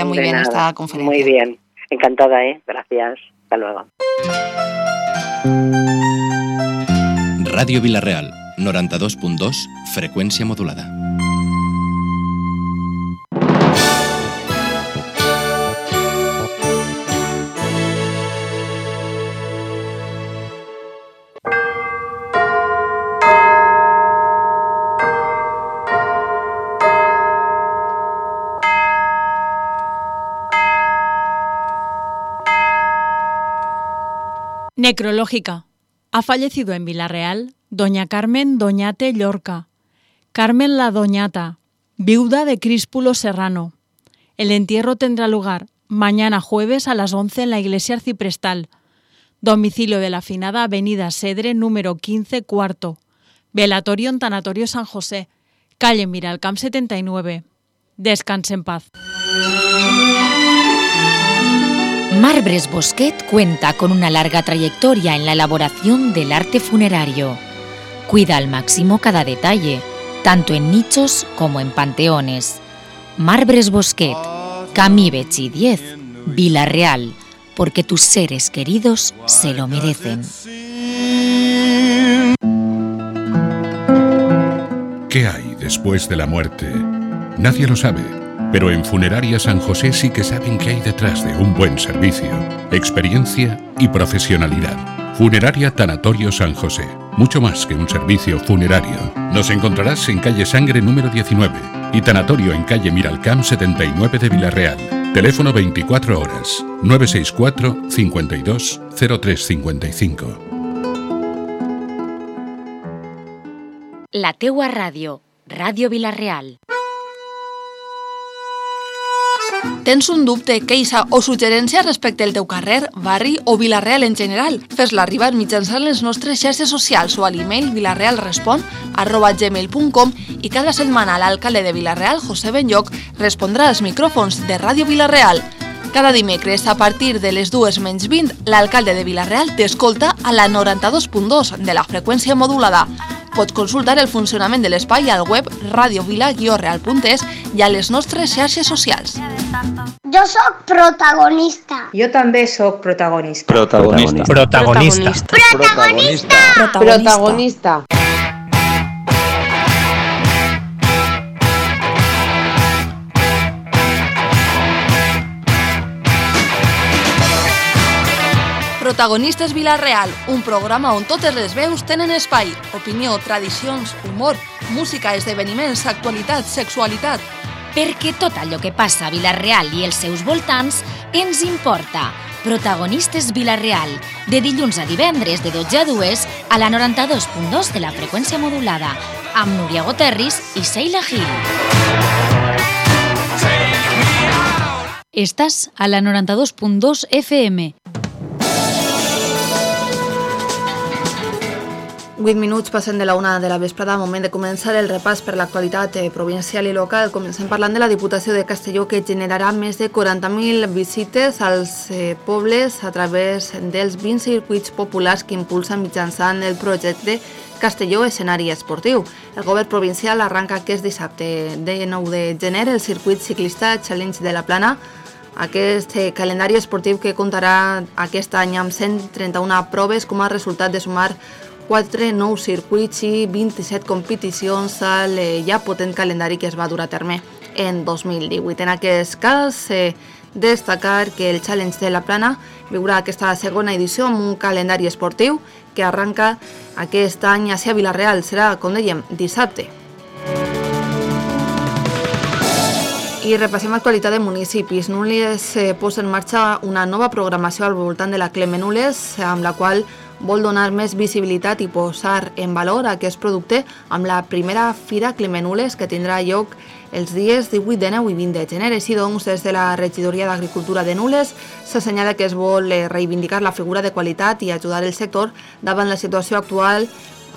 Muy bien esta conferencia. Muy bien, encantada, gracias, hasta luego. Ràdio Vila-real, 92.2, freqüència modulada. Necrológica. Ha fallecido en Vila-real doña Carmen Doñate Llorca, Carmen la Doñata, viuda de Críspulo Serrano. El entierro tendrá lugar mañana jueves a las 11 en la iglesia arciprestal. Domicilio de la afinada avenida Sedre, número 15, cuarto. Velatorio en Tanatorio San José, calle Miralcamp 79. Descanse en paz. Marbres Bosquet cuenta con una larga trayectoria en la elaboración del arte funerario. Cuida al máximo cada detalle, tanto en nichos como en panteones. Marbres Bosquet, Camí Betxí 10, Vila-real, porque tus seres queridos se lo merecen. ¿Qué hay después de la muerte? Nadie lo sabe. Pero en Funeraria San José sí que saben qué hay detrás de un buen servicio, experiencia y profesionalidad. Funeraria Tanatorio San José, mucho más que un servicio funerario. Nos encontrarás en calle Sangre número 19 y Tanatorio en calle Miralcamp 79 de Vila-real. Teléfono 24 horas, 964 52 0355. La teua ràdio, Ràdio Vila-real. Tens un dubte, queixa o suggerència respecte al teu carrer, barri o Vila-real en general? Fes-la arribar mitjançant les nostres xarxes socials o a l'email vilarealrespon@gmail.com i cada setmana l'alcalde de Vila-real, José Benlloch, respondrà als micròfons de Ràdio Vila-real. Cada dimecres, a partir de les 2:20, l'alcalde de Vila-real t'escolta a la 92.2 de la freqüència modulada. Pots consultar el funcionament de l'espai al web radiovila-real.es i a les nostres xarxes socials. Jo sóc protagonista. Jo també sóc protagonista. Protagonista. Protagonista. Protagonista. Protagonista. Protagonistes Vila-real, un programa on totes les veus tenen espai. Opinió, tradicions, humor, música, esdeveniments, actualitat, sexualitat. Perquè tot allò que passa a Vila-real i els seus voltants ens importa. Protagonistes Vila-real, de dilluns a divendres de 12 a 2 a la 92.2 de la freqüència modulada, amb Núria Goterris i Sheila Gil. Estàs a la 92.2 FM. 8 minuts passen de la 1 de la vesprada, moment de començar el repàs per l'actualitat provincial i local. Comencem parlant de la Diputació de Castelló, que generarà més de 40.000 visites als pobles a través dels 20 circuits populars que impulsa mitjançant el projecte Castelló Escenari Esportiu. El govern provincial arranca aquest dissabte, de 9 de gener, el circuit ciclista Challenge de la Plana. Aquest calendari esportiu que comptarà aquest any amb 131 proves com a resultat de sumar 4 nous circuits i 27 competicions al ja potent calendari que es va dur a terme en 2018. En aquest cas, destacar que el Challenge de la Plana viurà aquesta segona edició amb un calendari esportiu que arranca aquest any a Vila-real. Serà, com dèiem, dissabte. I repassem l'actualitat de municipis. Nules posa en marxa una nova programació al voltant de la Cleme Nules, amb la qual vol donar més visibilitat i posar en valor aquest producte amb la primera Fira Cleme Nules, que tindrà lloc els dies 18, 19 i 20 de gener. Així doncs, des de la Regidoria d'Agricultura de Nules s'assenyala que es vol reivindicar la figura de qualitat i ajudar el sector davant la situació actual.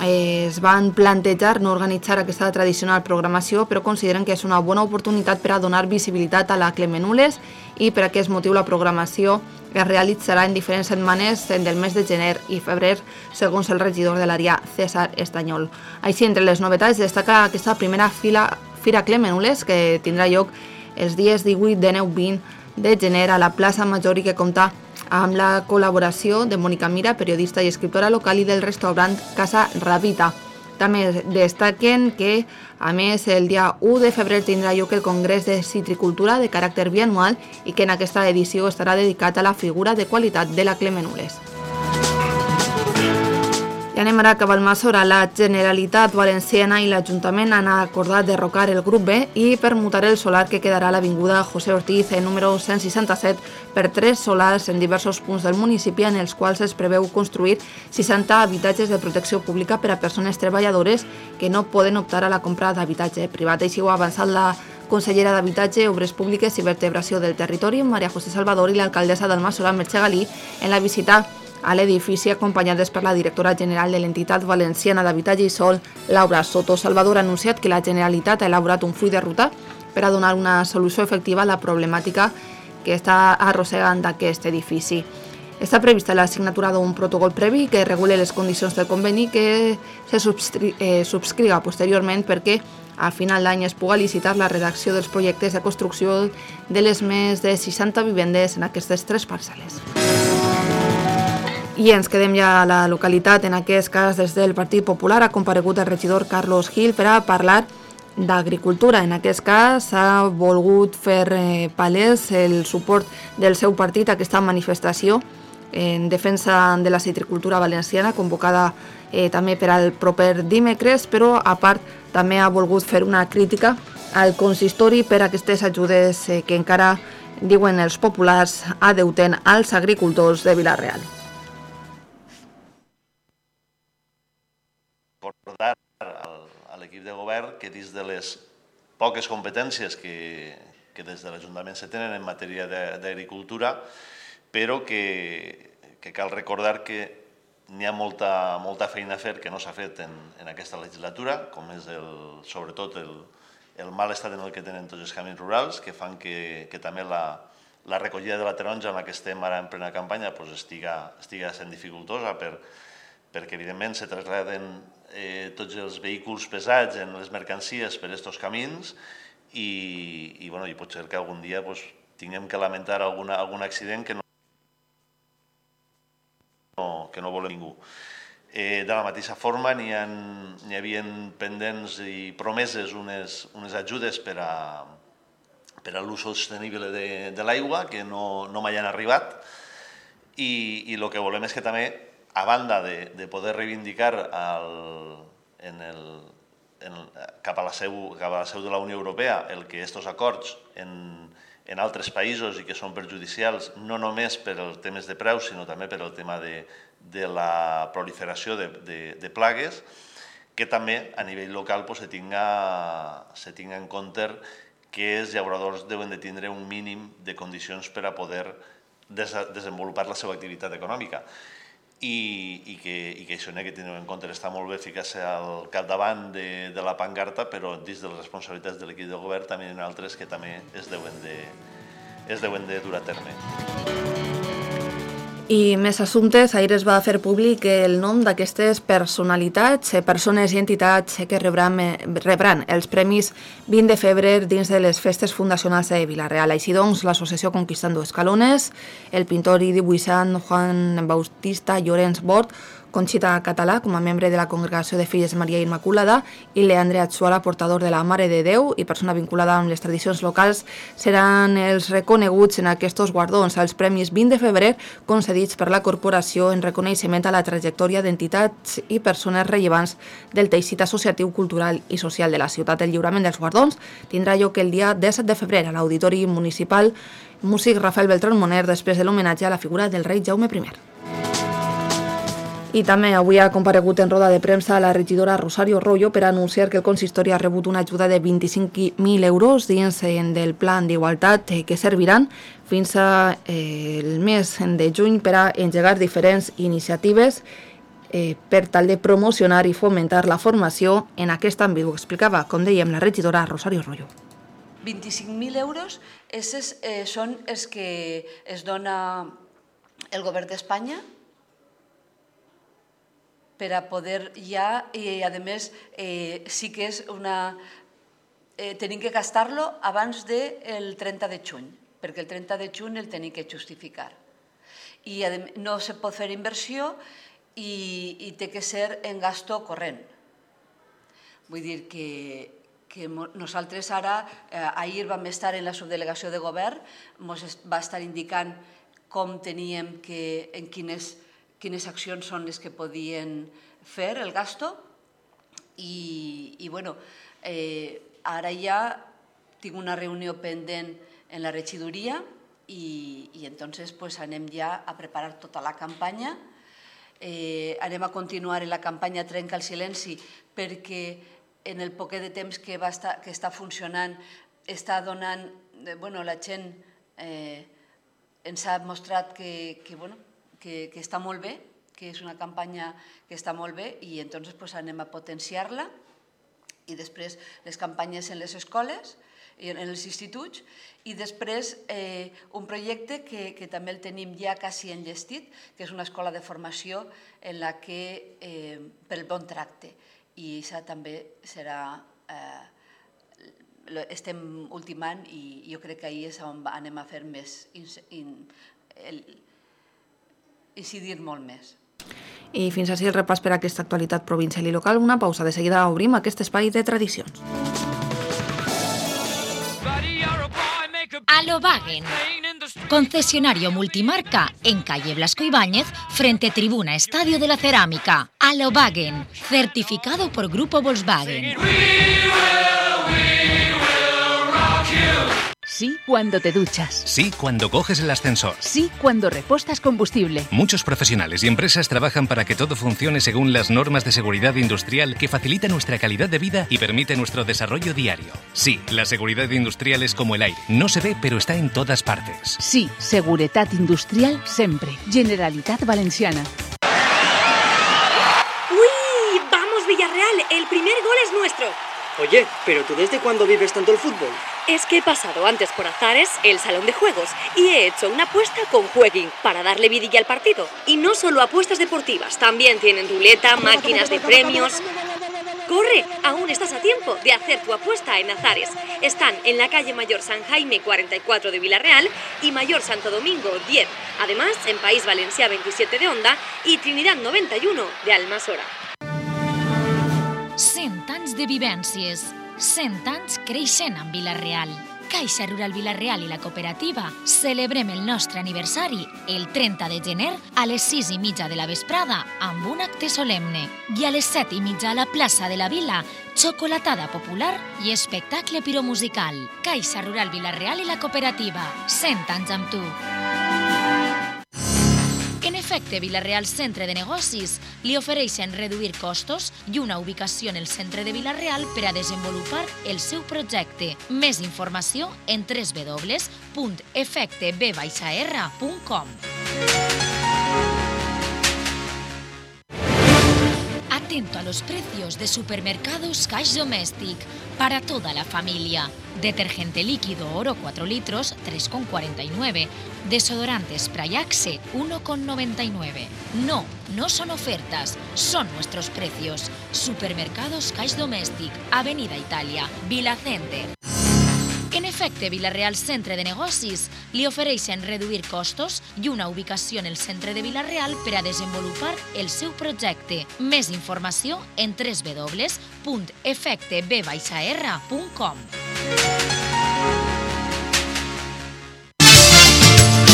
Es van plantejar no organitzar aquesta tradicional programació, però consideren que és una bona oportunitat per a donar visibilitat a la Cleme Nules i per aquest motiu la programació es realitzarà en diferents setmanes del mes de gener i febrer, segons el regidor de l'àrea, César Estanyol. Així, entre les novetats, destaca aquesta primera Fira Cleme Nules, que tindrà lloc els dies 18, 19, 20 de gener a la plaça Major i que compta amb la col·laboració de Mònica Mira, periodista i escriptora local, i del restaurant Casa Rabita. També destaquen que, a més, el dia 1 de febrer tindrà lloc el Congrés de Citricultura de caràcter bianual i que en aquesta edició estarà dedicat a la figura de qualitat de la Clemenules. I anem ara cap al Massora. La Generalitat Valenciana i l'Ajuntament han acordat derrocar el grup B i permutar el solar que quedarà a l'avinguda José Ortiz, número 167, per 3 solars en diversos punts del municipi, en els quals es preveu construir 60 habitatges de protecció pública per a persones treballadores que no poden optar a la compra d'habitatge privat. Així ho ha avançat la consellera d'Habitatge, Obres Públiques i Vertebració del Territori, Maria José Salvador, i l'alcaldessa del Massora, Mercè Galí, en la visita a l'edifici, acompanyades per la directora general de l'entitat valenciana d'Habitatge i Sol, Laura Soto. Salvador ha anunciat que la Generalitat ha elaborat un full de ruta per a donar una solució efectiva a la problemàtica que està arrossegant d'aquest edifici. Està prevista la signatura d'un protocol previ que regule les condicions del conveni que se subscriga posteriorment perquè a final d'any es puga licitar la redacció dels projectes de construcció de les més de 60 vivendes en aquestes 3 parcel·les. I ens quedem ja a la localitat. En aquest cas, des del Partit Popular ha comparegut el regidor Carlos Gil per a parlar d'agricultura. En aquest cas s'ha volgut fer palès el suport del seu partit a aquesta manifestació en defensa de la citricultura valenciana, convocada també per al proper dimecres, però a part també ha volgut fer una crítica al consistori per aquestes ajudes que encara, diuen els populars, adeuten als agricultors de Vila-real. Recordar a l'equip de govern que dins de les poques competències que des de l'Ajuntament se tenen en matèria d'agricultura, però que cal recordar que n'hi ha molta feina a fer que no s'ha fet en aquesta legislatura, com és sobretot el mal estat en el que tenen tots els camins rurals, que fan que també la recollida de la taronja en la que estem ara en plena campanya estiga sent dificultosa perquè evidentment se traslladen tots els vehicles pesats en les mercancies per aquests camins i pot ser que algun dia tinguem que lamentar algun accident que no volem ningú. De la mateixa forma, n'hi havia pendents i promeses unes ajudes per a l'ús sostenible de l'aigua que no mai han arribat i el que volem és que també, a banda de poder reivindicar cap a la seu de la Unió Europea el que aquests acords en altres països i que són perjudicials no només per als temes de preus sinó també per al tema de la proliferació de plagues, que també a nivell local se tinga en compte que els llauradors deuen de tindre un mínim de condicions per a poder desenvolupar la seva activitat econòmica. I que això n'hi ha que tenir en compte. Està molt bé ficar-se al capdavant de la pancarta, però dins de les responsabilitats de l'equip de govern també hi ha altres que també es deuen de dur a terme. I més assumptes, ahir es va fer públic el nom d'aquestes personalitats, persones i entitats que rebran els premis 20 de febrer dins de les festes fundacionals de Vila-real. Així doncs, l'associació Conquistando Escalones, el pintor i dibuixant Juan Bautista Llorenç Bort, Conxita Català, com a membre de la Congregació de Filles Maria Immaculada, i Leandre Atsuara, portador de la Mare de Déu i persona vinculada amb les tradicions locals, seran els reconeguts en aquests guardons als Premis 20 de febrer concedits per la corporació en reconeixement a la trajectòria d'entitats i persones rellevants del teixit associatiu, cultural i social de la ciutat. El lliurament dels guardons tindrà lloc el dia 17 de febrer a l'Auditori Municipal Músic Rafael Beltrán Moner, després de l'homenatge a la figura del rei Jaume I. I també avui ha comparegut en roda de premsa la regidora Rosario Royo per anunciar que el consistori ha rebut una ajuda de 25.000 euros dins del plan d'igualtat que serviran fins al mes de juny per a engegar diferents iniciatives per tal de promocionar i fomentar la formació en aquest àmbit. Ho explicava, com dèiem, la regidora Rosario Royo. 25.000 euros són els que es dona el govern d'Espanya per a poder ja, i a més sí que és tenim que gastar-lo abans del 30 de juny, perquè el 30 de juny el tenim que justificar. I no se pot fer inversió i té que ser en gasto corrent. Vull dir que nosaltres ara, ahir vam estar en la subdelegació de govern, ens va estar indicant com teníem en quines accions són les que podien fer el gasto i bueno, ara ja tinc una reunió pendent en la regidoria i entonces anem ja a preparar tota la campanya. Anem a continuar en la campanya Trenca el silenci perquè en el poquet de temps que està funcionant està donant, la gent ens ha mostrat que està molt bé, que és una campanya que està molt bé i entonces anem a potenciar-la i després les campanyes en les escoles i en els instituts i després un projecte que també el tenim ja quasi enllestit, que és una escola de formació en la que pel bon tracte i això també serà estem ultimant i jo crec que ahir és on anem a fer més, incidir molt més. I fins així el repàs per a aquesta actualitat provincial i local. Una pausa, de seguida obrim aquest espai de tradicions. Alobagen, concesionario multimarca en calle Blasco Ibáñez, frente Tribuna Estadio de la Cerámica. Alobagen, certificado por Grupo Volkswagen. Sí cuando te duchas. Sí cuando coges el ascensor. Sí cuando repostas combustible. Muchos profesionales y empresas trabajan para que todo funcione según las normas de seguridad industrial que facilitan nuestra calidad de vida y permite nuestro desarrollo diario. Sí, la seguridad industrial es como el aire. No se ve, pero está en todas partes. Sí, seguretat industrial sempre. Generalitat Valenciana. ¡Uy! ¡Vamos, Villarreal! El primer gol es nuestro. Oye, ¿pero tú desde cuándo vives tanto el fútbol? Es que he pasado antes por Azares, el salón de juegos, y he hecho una apuesta con Jueguin para darle vidilla al partido. Y no solo apuestas deportivas, también tienen ruleta, máquinas de premios. ¡Corre! Aún estás a tiempo de hacer tu apuesta en Azares. Están en la calle Mayor San Jaime 44 de Villarreal y Mayor Santo Domingo 10. Además, en País Valencià 27 de Onda y Trinidad 91 de Almassora. 100 anys de vivències, 100 anys creixent amb Vila-real. Caixa Rural Vila-real i la cooperativa celebrem el nostre aniversari el 30 de gener a les 6:30 de la vesprada amb un acte solemne i a les 7:30 a la plaça de la Vila, xocolatada popular i espectacle piromusical. Caixa Rural Vila-real i la cooperativa, 100 anys amb tu. En efecte, Vila-real Centre de Negocis li ofereixen reduir costos i una ubicació en el centre de Vila-real per a desenvolupar el seu projecte. Més informació en www.efecteb-r.com. Atento a los precios de Supermercados Cash Domestic para toda la familia. Detergente líquido Oro 4 litros, 3,49. Desodorante Spray Axe, 1,99. No, no son ofertas, son nuestros precios. Supermercados Cash Domestic, Avenida Italia, Vila Center. En efecte, Vila-real Centre de Negocis li ofereixen reduir costos i una ubicació en el centre de Vila-real per a desenvolupar el seu projecte. Més informació en www.efecteb-r.com.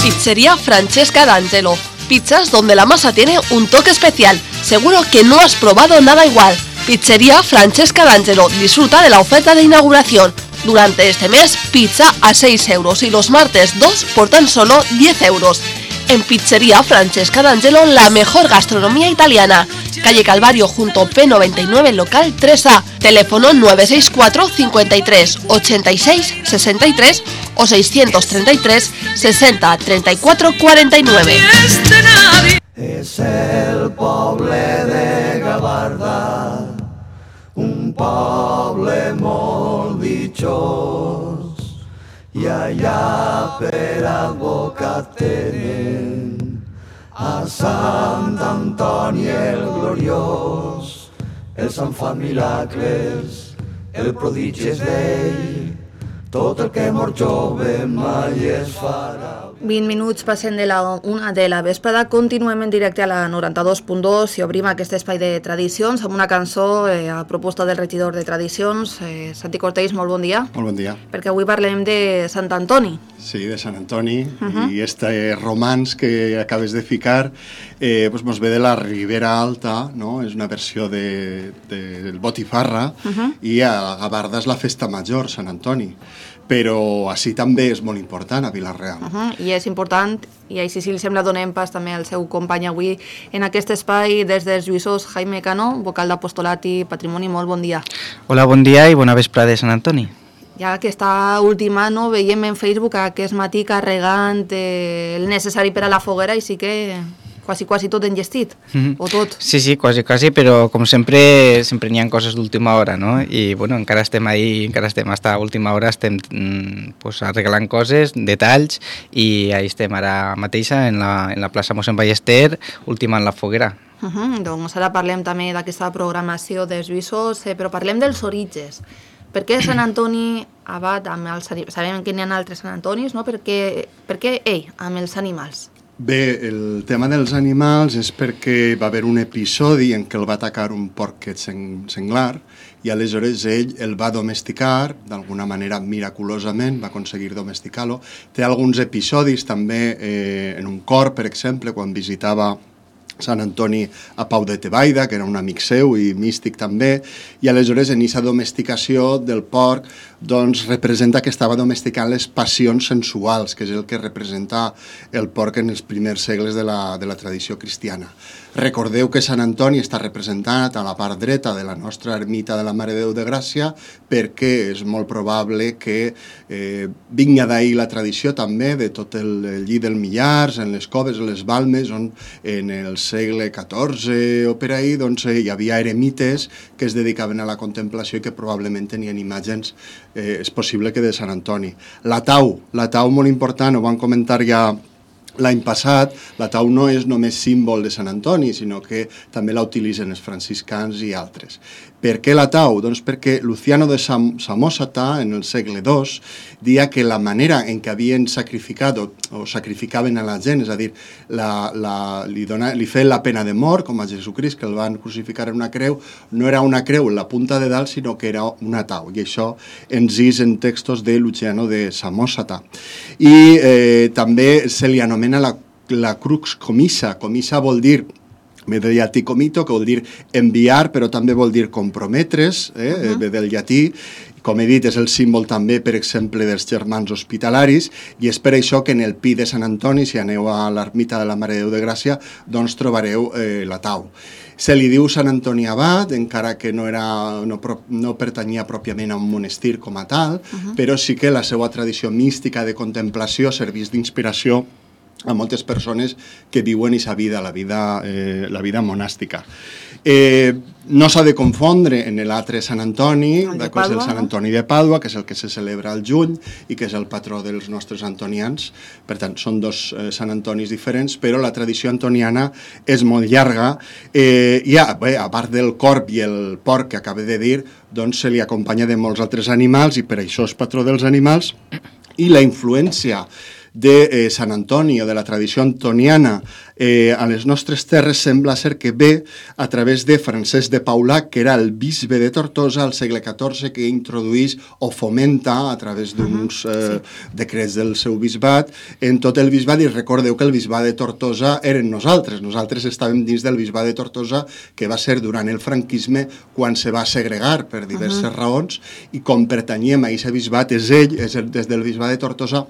Pizzería Francesca D'Angelo. Pizzas donde la masa tiene un toque especial. Seguro que no has probado nada igual. Pizzería Francesca D'Angelo. Disfruta de la oferta de inauguración. Durante este mes, pizza a 6 euros y los martes 2 por tan solo 10 euros. En Pizzería Francesca D'Angelo, la mejor gastronomía italiana. Calle Calvario junto P99, local 3A. Teléfono 964 53 86 63 o 633 60 34 49. És el poble de Gavarda, un poble molt ditxós, i allà per advocat tenen a Sant Antoni el gloriós. Els han fan miracles, El prodigi és d'ell, tot el que mor jove mai es farà. 20 minuts passen de la 1 de la vesprada, continuem en directe a la 92.2 i obrim aquest espai de tradicions amb una cançó a proposta del regidor de tradicions, Santi Cortells, molt bon dia. Molt bon dia. Perquè avui parlem de Sant Antoni. Sí, de Sant Antoni, i este romanç que acabes de ficar ens ve de la Ribera Alta, no? És una versió del Botifarra, i a la Gavarda és la festa major, Sant Antoni. Però així també és molt important a Vila-real. I és important, i així si li sembla donem pas també al seu company avui en aquest espai des dels Lluïssos, Jaime Cano, vocal d'Apostolat i Patrimoni. Molt bon dia. Hola, bon dia i bona vesprada de Sant Antoni. Ja que està última, no, veiem en Facebook aquest matí carregant el necessari per a la foguera i sí que quasi tot enllestit, o tot. Sí, quasi, però com sempre n'hi ha coses d'última hora, no? I bueno, encara estem ahí, encara estem hasta última hora, estem arreglant coses, detalls, i ahí estem ara mateixa en la plaça Mossèn Ballester, ultimant la foguera. Doncs ara parlem també d'aquesta programació dels Lluïssos, però parlem dels orígens. Per què Sant Antoni Abat amb els animals? Sabem que n'hi ha altres Sant Antonis, no? Per què ell amb els animals? Bé, el tema dels animals és perquè va haver un episodi en què el va atacar un porquet senglar i aleshores ell el va domesticar, d'alguna manera miraculosament va aconseguir domesticar-lo. Té alguns episodis també en un cor, per exemple, quan visitava Sant Antoni a Pau de Tebaida, que era un amic seu i místic també, i aleshores en aquesta domesticació del porc doncs representa que estava domesticant les passions sensuals, que és el que representa el porc en els primers segles de la tradició cristiana. Recordeu que Sant Antoni està representat a la part dreta de la nostra ermita de la Mare de Déu de Gràcia perquè és molt probable que vinga d'ahir la tradició també de tot el llit del Millars, en les coves, en les balmes, on en el segle XIV o per ahir doncs, hi havia eremites que es dedicaven a la contemplació i que probablement tenien imatges, és possible que de Sant Antoni. La tau molt important, ho van comentar ja l'any passat, la tau no és només símbol de Sant Antoni, sinó que també la utilitzen els franciscans i altres. Per què la tau? Doncs perquè Luciano de Samosata, en el segle II, deia que la manera en què havien sacrificat o sacrificaven a la gent, és a dir, li feien la pena de mort, com a Jesucrist, que el van crucificar en una creu, no era una creu en la punta de dalt, sinó que era una tau. I això ens és en textos de Luciano de Samosata. I també se li anomena la crux comissa. Comissa vol dir, ve del llatí comito, que vol dir enviar, però també vol dir comprometre's, ve del llatí. Com he dit, és el símbol també, per exemple, dels germans hospitalaris, i és per això que en el pi de Sant Antoni, si aneu a l'ermita de la Mare de Déu de Gràcia, doncs trobareu la tau. Se li diu Sant Antoni Abat, encara que no pertanyia pròpiament a un monestir com a tal, però sí que la seva tradició mística de contemplació serveix d'inspiració a moltes persones que viuen aquesta vida, la vida monàstica. No s'ha de confondre en l'altre Sant Antoni, que és el Sant Antoni de Pàdua, que és el que se celebra al juny i que és el patró dels nostres antonians. Per tant, són dos Sant Antonis diferents, però la tradició antoniana és molt llarga. I a part del corb i el porc que acabo de dir, doncs se li acompanya de molts altres animals i per això és patró dels animals. I la influència de Sant Antoni o de la tradició antoniana a les nostres terres sembla ser que ve a través de Francesc de Paula, que era el bisbe de Tortosa al segle XIV, que introduís o fomenta a través d'uns decrets del seu bisbat en tot el bisbat. I recordeu que el bisbat de Tortosa eren nosaltres estàvem dins del bisbat de Tortosa, que va ser durant el franquisme quan se va segregar per diverses raons, i com pertanyem a aquest bisbat, és des del bisbat de Tortosa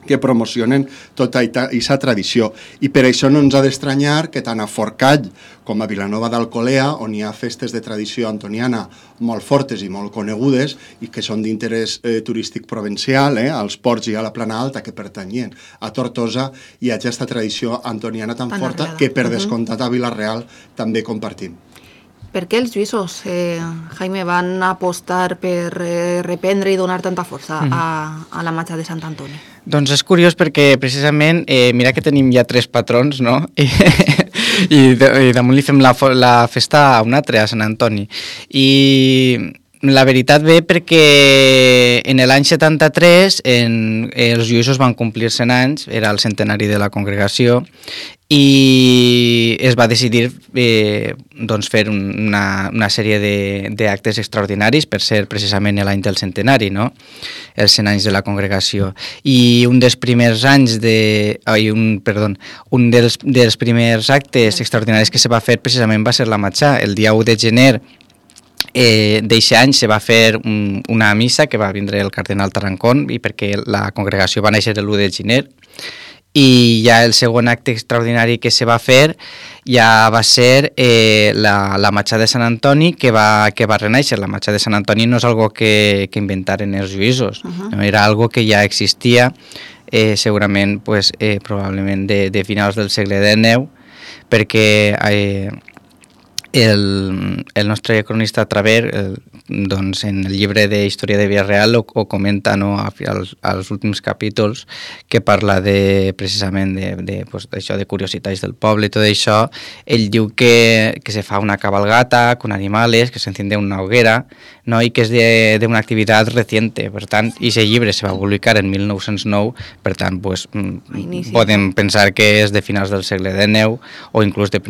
que promocionen tota aquesta tradició. I per això no ens ha d'estranyar que tant a Forcall com a Vilanova d'Alcolea, on hi ha festes de tradició antoniana molt fortes i molt conegudes i que són d'interès turístic provincial, als ports i a la Plana Alta, que pertanyien a Tortosa, i a aquesta tradició antoniana tan forta que per descomptat a Vila-real també compartim. Per què els lluïssos, Jaime, van apostar per reprendre i donar tanta força a la imatge de Sant Antoni? Doncs és curiós perquè precisament, mira que tenim ja 3 patrons, no? I damunt li fem la festa a un altre, a Sant Antoni. I La veritat ve perquè en l'any 73 els lluïssos van complir 100 anys, era el centenari de la congregació, i es va decidir doncs fer una sèrie d'actes extraordinaris per ser precisament l'any del centenari, no? Els 100 anys de la congregació. I un dels primers primers actes extraordinaris que se va fer precisament va ser la matxà. El dia 1 de gener d'eixe any se va fer una missa que va vindre el cardenal Tarancón, i perquè la congregació va néixer l'1 de gener, i ja el segon acte extraordinari que se va fer ja va ser la matxà de Sant Antoni, que va renéixer. La matxà de Sant Antoni no és algo que inventaren els lluïssos, no? Era algo que ja existia segurament, probablement de finals del segle XIX, perquè el nostre cronista Traver, doncs en el llibre de Història de Villarreal ho comenta, no, als últims capítols, que parla precisament d'això, de curiositats del poble i tot això. Ell diu que se fa una cabalgata con animales, que s'enciende una hoguera, no? I que és d'una activitat reciente. Per tant, aquest llibre se va publicar en 1909, per tant, podem pensar que és de finals del segle XIX o inclús de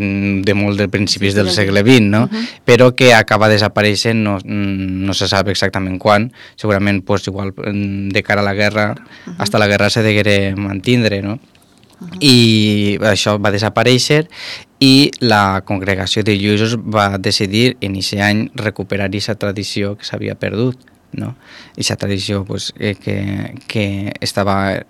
molt de principis del segle XX, no? Però que acaba desapareixent, no se sap exactament quan, segurament igual de cara a la guerra, fins a la guerra se degué mantindre, no? I això va desaparèixer, i la congregació de lluïssos va decidir en aquest any recuperar aquesta tradició que s'havia perdut, no? Aquesta tradició que estava,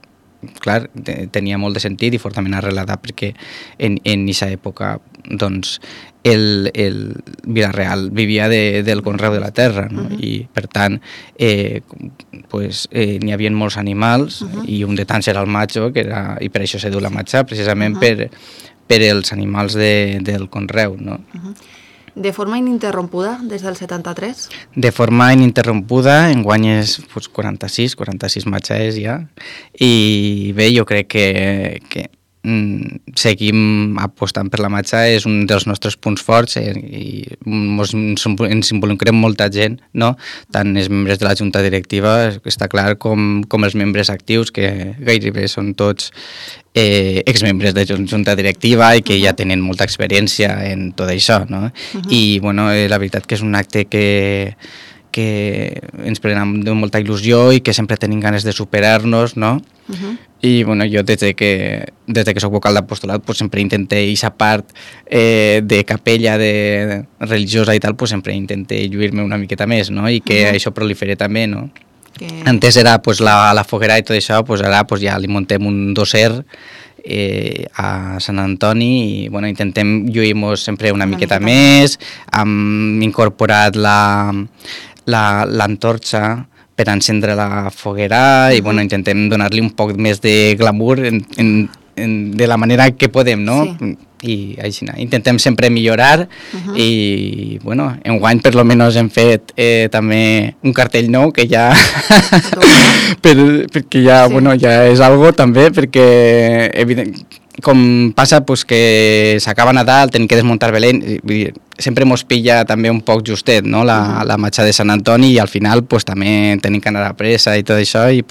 clar, tenia molt de sentit i fortament arrelada, perquè en aquesta època doncs el Vila-real vivia del conreu de la terra, no? I per tant n'hi havia molts animals, i un de tants era el matxo, i per això se diu la matxà, precisament per els animals del conreu, no? De forma ininterrompuda des del 73? De forma ininterrompuda, enguany és 46 matxes ja, i bé, jo crec que seguim apostant per la matxà, és un dels nostres punts forts, i ens involucrem molta gent, no? Tant els membres de la junta directiva, està clar, com els membres actius, que gairebé són tots exmembres de junta directiva i que ja tenen molta experiència en tot això, no? I bueno, la veritat que és un acte que ens prenem de molta il·lusió i que sempre tenim ganes de superar-nos, no? I bueno, jo des que soc vocal d'apostolat sempre intenté aquesta part de capella religiosa i tal, sempre intenté lluir-me una miqueta més, no? I que això prolifere també, no? Antes era la foguera i tot això, ara ja li muntem un doser a Sant Antoni, i bueno, intentem lluir-nos sempre una miqueta més. Hem incorporat l'antorxa per encendre la foguera, i bueno, intentem donar-li un poc més de glamour de la manera que podem, no? Sí. I així, intentem sempre millorar, i bueno, enguany per lo menos hem fet també un cartell nou que ja perquè ja, bueno, ja és algo també, perquè com passa que s'acaba Nadal, tenim que desmuntar Belén, sempre mos pilla també un poc justet, no? La matxà de Sant Antoni, i al final també tenim que anar a pressa i tot això, i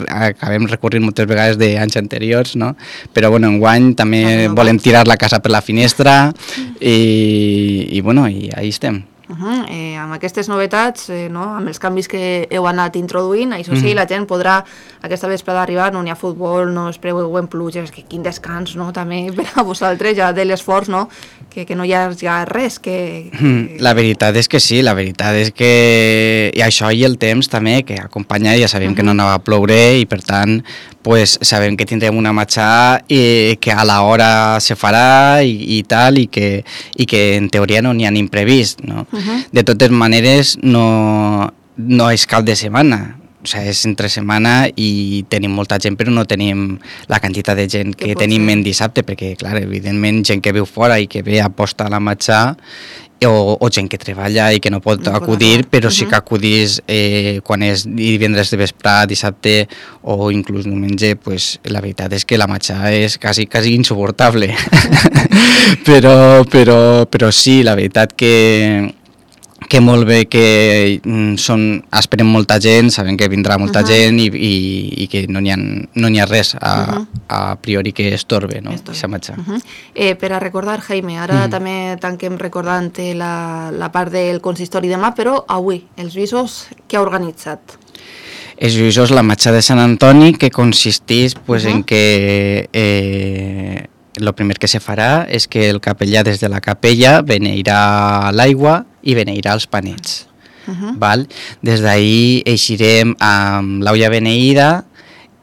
acabem recorrint moltes vegades d'anys anteriors, no? Però bueno, enguany també volem tirar la casa per la finestra, i bueno, i ahí estem. Amb aquestes novetats, amb els canvis que heu anat introduint, això sí, la gent podrà aquesta vesprada arribar, no n'hi ha futbol, no es preveuen pluges, que quin descans, no? També per a vosaltres, ja de l'esforç, no? Que no hi ha res que... La veritat és que sí, la veritat és que... I això i el temps també, que acompanya, ja sabem que no anava a ploure, i per tant sabem que tindrem una matxà que a l'hora se farà i tal, i que en teoria no n'hi ha imprevist, no? De totes maneres, no és cap de setmana, o sigui, és entre setmana, i tenim molta gent, però no tenim la quantitat de gent que tenim en dissabte, perquè, clar, evidentment, gent que viu fora i que ve a aposta a la matxà, o gent que treballa i que no pot acudir, però sí que acudís quan és divendres de vespre, dissabte o inclús diumenge, la veritat és que la matxà és quasi insuportable. Però sí, la veritat que que molt bé que esperem molta gent, sabem que vindrà molta gent i que no n'hi ha res a priori que estorbe, no? Per a recordar, Jaime, ara també tanquem recordant la part del consistori demà, però avui, els lluïsos, què ha organitzat? Els lluïsos, la marxa de Sant Antoni, que consisteix en que el primer que se farà és que el capellà des de la capella beneirà l'aigua i beneirà els panets. Des d'ahir eixirem amb l'olla beneïda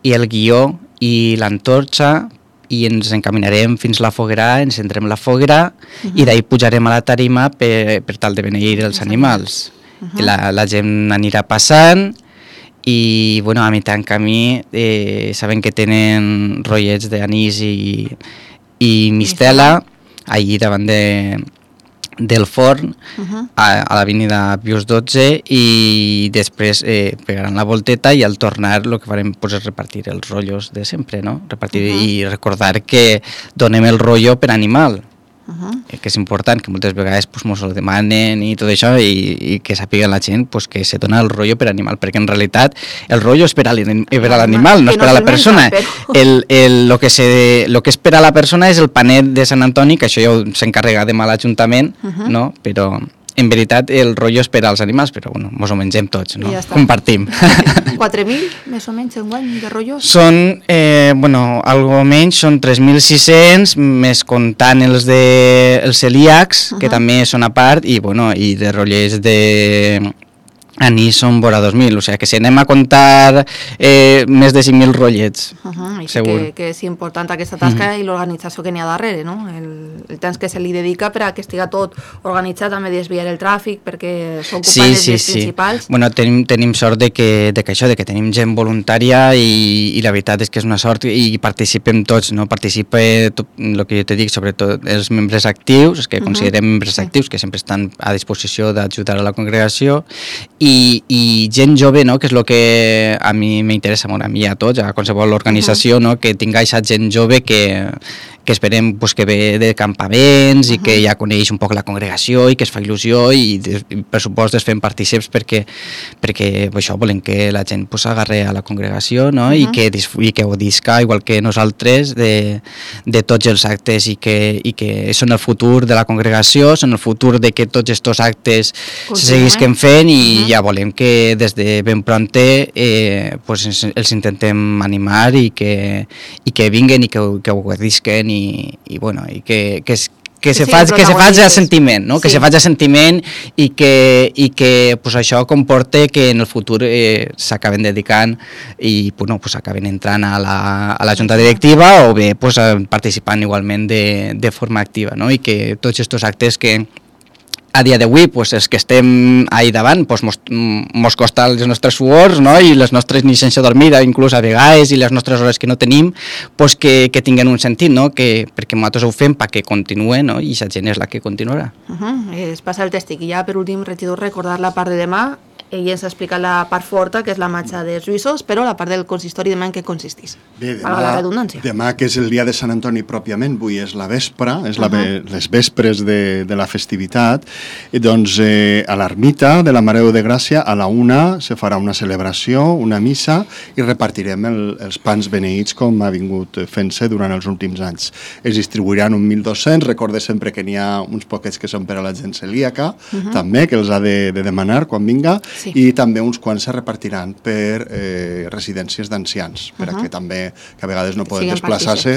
i el guió i l'antorxa i ens encaminarem fins a la foguera, encendrem la foguera i d'ahir pujarem a la tarima per tal de beneir els animals. La gent anirà passant i a mitjà en camí saben que tenen rotllets d'anís i mistela allí davant del forn a l'avinida Pius XII i després pegaran la volteta i al tornar el que farem és repartir els rotllos de sempre, no? Repartir i recordar que donem el rotllo per animal, que és important, que moltes vegades ens ho demanen i tot això i que sàpiga la gent que se dona el rotllo per animal, perquè en realitat el rotllo és per a l'animal, no és per a la persona. El que és per a la persona és el panet de Sant Antoni, que això ja s'encarrega demà a l'Ajuntament, però en veritat el rotllo és per als animals, però ens ho mengem tots, no? Compartim. 4.000 més o menys enguany de rotllos? Són, algo menys, són 3.600, més comptant els celíacs, que també són a part, i de rotllers anís són vora 2.000, o sigui que si anem a comptar més de 5.000 rotllets, segur. Que és important aquesta tasca i l'organització que n'hi ha darrere, no? El temps que se li dedica per a que estigui tot organitzat, també desviar el tràfic, perquè s'ocupen els principals. Bueno, tenim sort de que tenim gent voluntària i la veritat és que és una sort i participem tots, no? Participa tot el que jo te dic, sobretot els membres actius, que considerem membres actius, que sempre estan a disposició d'ajudar a la congregació, i gent jove, no? Que és el que a mi m'interessa molt, a mi i a tots, a qualsevol organització, no? Que tinga aquesta gent jove que esperem que ve de campaments i que ja coneix un poc la congregació i que es fa il·lusió i per supost es fem partícips perquè això volem que la gent s'agarre a la congregació, no? I que gaudisca igual que nosaltres de tots els actes i que són el futur de la congregació, són el futur de que tots aquests actes se seguisquen fent i ja volem que des de ben pronte els intentem animar i que vinguen i que ho gaudisquen i que se faci a sentiment, no? Que se faci a sentiment i que això comporte que en el futur s'acaben dedicant i s'acaben entrant a la junta directiva o bé participant igualment de forma activa, no? I que tots aquests actes que a dia d'avui, els que estem ahí davant, mos costa les nostres suors, no? I les nostres ni sense dormir, inclús a vegades, i les nostres hores que no tenim, que tinguin un sentit, no? Perquè nosaltres ho fem perquè continuï, no? I la gent és la que continuarà. Es passa el tèstic. I ja per últim, regidor, recordar la part de demà. Ell ens ha explicat la part forta, que és la marxa dels lluïsos, però la part del consistori demà en què consisteix? Bé, demà, que és el dia de Sant Antoni pròpiament, avui és la vespra, les vespres de la festivitat, i doncs a l'ermita de la Mare de Gràcia a la 1 se farà una celebració, una missa, i repartirem els pans beneïts com ha vingut fent-se durant els últims anys. Es distribuiran 1.200, recorde sempre que n'hi ha uns poquets que són per a la gent celíaca, també, que els ha de demanar quan vinga, i també uns quants se repartiran per residències d'ancians, perquè també, que a vegades no poden desplaçar-se,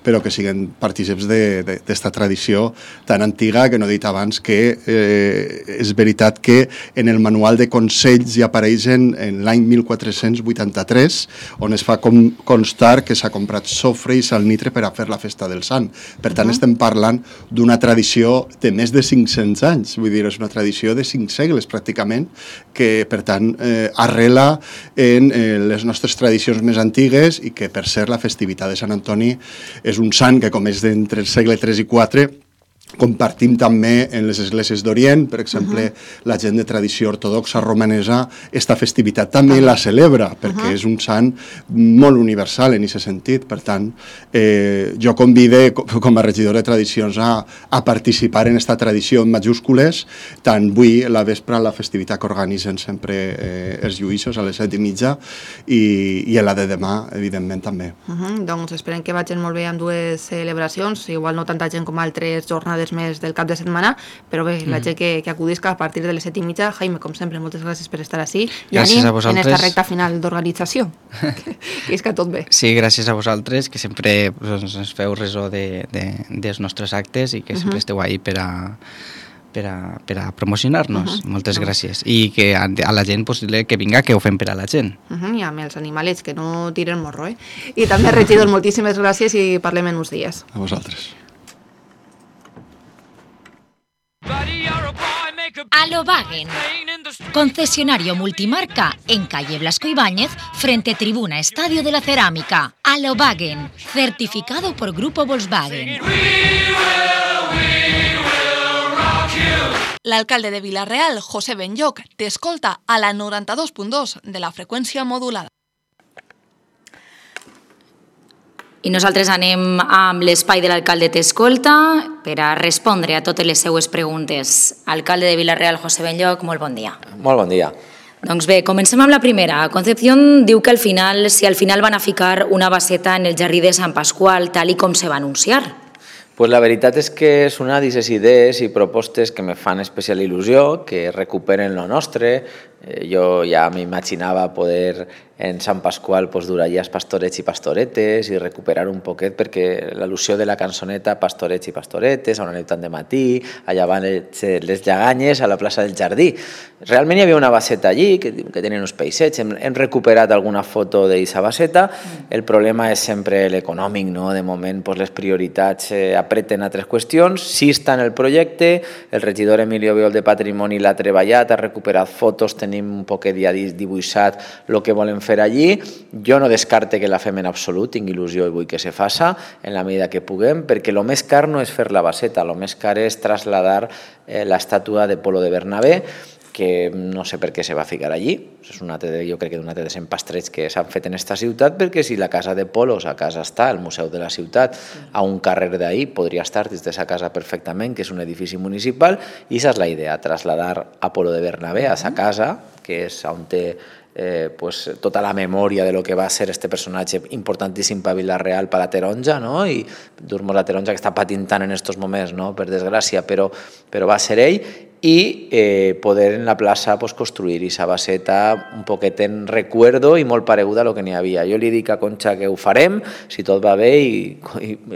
però que siguin partícips d'esta tradició tan antiga que no he dit abans que és veritat que en el manual de consells hi apareix en l'any 1483, on es fa constar que s'ha comprat sofre i salnitre per a fer la festa del sant. Per tant, estem parlant d'una tradició de més de 500 anys, vull dir, és una tradició de 5 segles pràcticament, que per tant arrela en les nostres tradicions més antigues i que per ser la festivitat de Sant Antoni és un sant que com és d'entre el segle III i IV Compartim també en les esglésies d'Orient, per exemple, la gent de tradició ortodoxa romanesa, esta festivitat també la celebra, perquè és un sant molt universal en aquest sentit. Per tant, jo convide com a regidor de tradicions a participar en esta tradició en majúscules, tant avui la vespre la festivitat que organitzen sempre els lluïssos a les 7:30 i la de demà, evidentment, també. Doncs esperem que vagin molt bé amb dues celebracions, igual no tanta gent com altres jornades més del cap de setmana, però bé, la gent que acudisca a partir de les 7:30. Jaime, com sempre, moltes gràcies per estar així i ànim en esta recta final d'organització. Que és que tot bé. Sí, gràcies a vosaltres, que sempre ens feu ressò dels nostres actes i que sempre esteu ahí per a promocionar-nos. Moltes gràcies. I que a la gent que vinga, que ho fem per a la gent. I amb els animalets, que no tiren morro. I també, regidor, moltíssimes gràcies i parlem en uns dies. A vosaltres. Alobagen, concesionario multimarca en calle Blasco Ibáñez, frente tribuna Estadio de la Cerámica. Alobagen, certificado por Grupo Volkswagen. L'alcalde de Vila-real, José Benlloc, t'escolta a la 92.2 de la freqüència modulada. I nosaltres anem amb l'espai de l'alcalde t'escolta per a respondre a totes les seues preguntes. Alcalde de Vila-real, José Benlloc, molt bon dia. Molt bon dia. Doncs bé, comencem amb la primera. Concepción diu que si al final van a ficar una baseta en el jardí de Sant Pasqual, tal i com se va anunciar. Pues la veritat és que és una d'aquestes idees i propostes que me fan especial il·lusió, que recuperen lo nostre. Jo ja m'imaginava poder en Sant Pasqual dur allà els pastorets i pastoretes i recuperar un poquet, perquè l'al·lusió de la cançoneta Pastorets i pastoretes, a una nit tant de matí, allà van les lleganyes a la plaça del Jardí. Realment hi havia una baseta allí que tenen uns peixets, hem recuperat alguna foto d'aquesta baseta. El problema és sempre l'econòmic, no? De moment les prioritats apreten altres qüestions. Sí està en el projecte, el regidor Emilio Biol de Patrimoni l'ha treballat, ha recuperat fotos, tenim un poquet ja dibuixat el que volem fer allí. Jo no descarte que la fem en absolut, tinc il·lusió i vull que se faça en la medida que puguem, perquè el més car no és fer la baseta, el més car és trasladar l'estàtua de Polo de Bernabé, que no sé per què se va ficar allí. És jo crec que d'un altre de pastrets que s'han fet en aquesta ciutat, perquè si la casa de Polos a casa està, el Museu de la Ciutat, a un carrer d'ahir, podria estar des d'aquesta casa perfectament, que és un edifici municipal, i aquesta és la idea, trasladar a Polo de Bernabé a sa casa, que és on té tota la memòria de lo que va ser este personatge importantíssim per Vila-real, per la taronja, i dur-nos la taronja que està patint tant en aquests moments, per desgràcia, però va ser ell, i poder en la plaça construir aquesta baseta un poquet en recuerdo i molt pareguda a lo que n'hi havia. Jo li dic a Concha que ho farem, si tot va bé i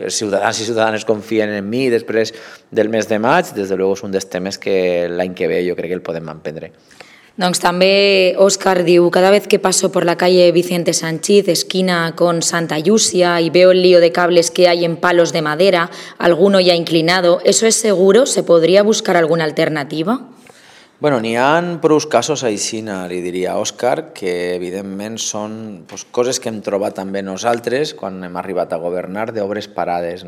els ciutadans i ciutadanes confien en mi després del mes de maig, des de luego és un dels temes que l'any que ve jo crec que el podem emprendre. Doncs també Óscar diu, cada vez que paso por la calle Vicente Sanchís, esquina con Santa Llúcia, y veo el lío de cables que hay en palos de madera, alguno ya inclinado, ¿eso es seguro? ¿Se podría buscar alguna alternativa? Bueno, n'hi ha prou casos així, li diria a Òscar, que evidentment són coses que hem trobat també nosaltres quan hem arribat a governar, d'obres parades,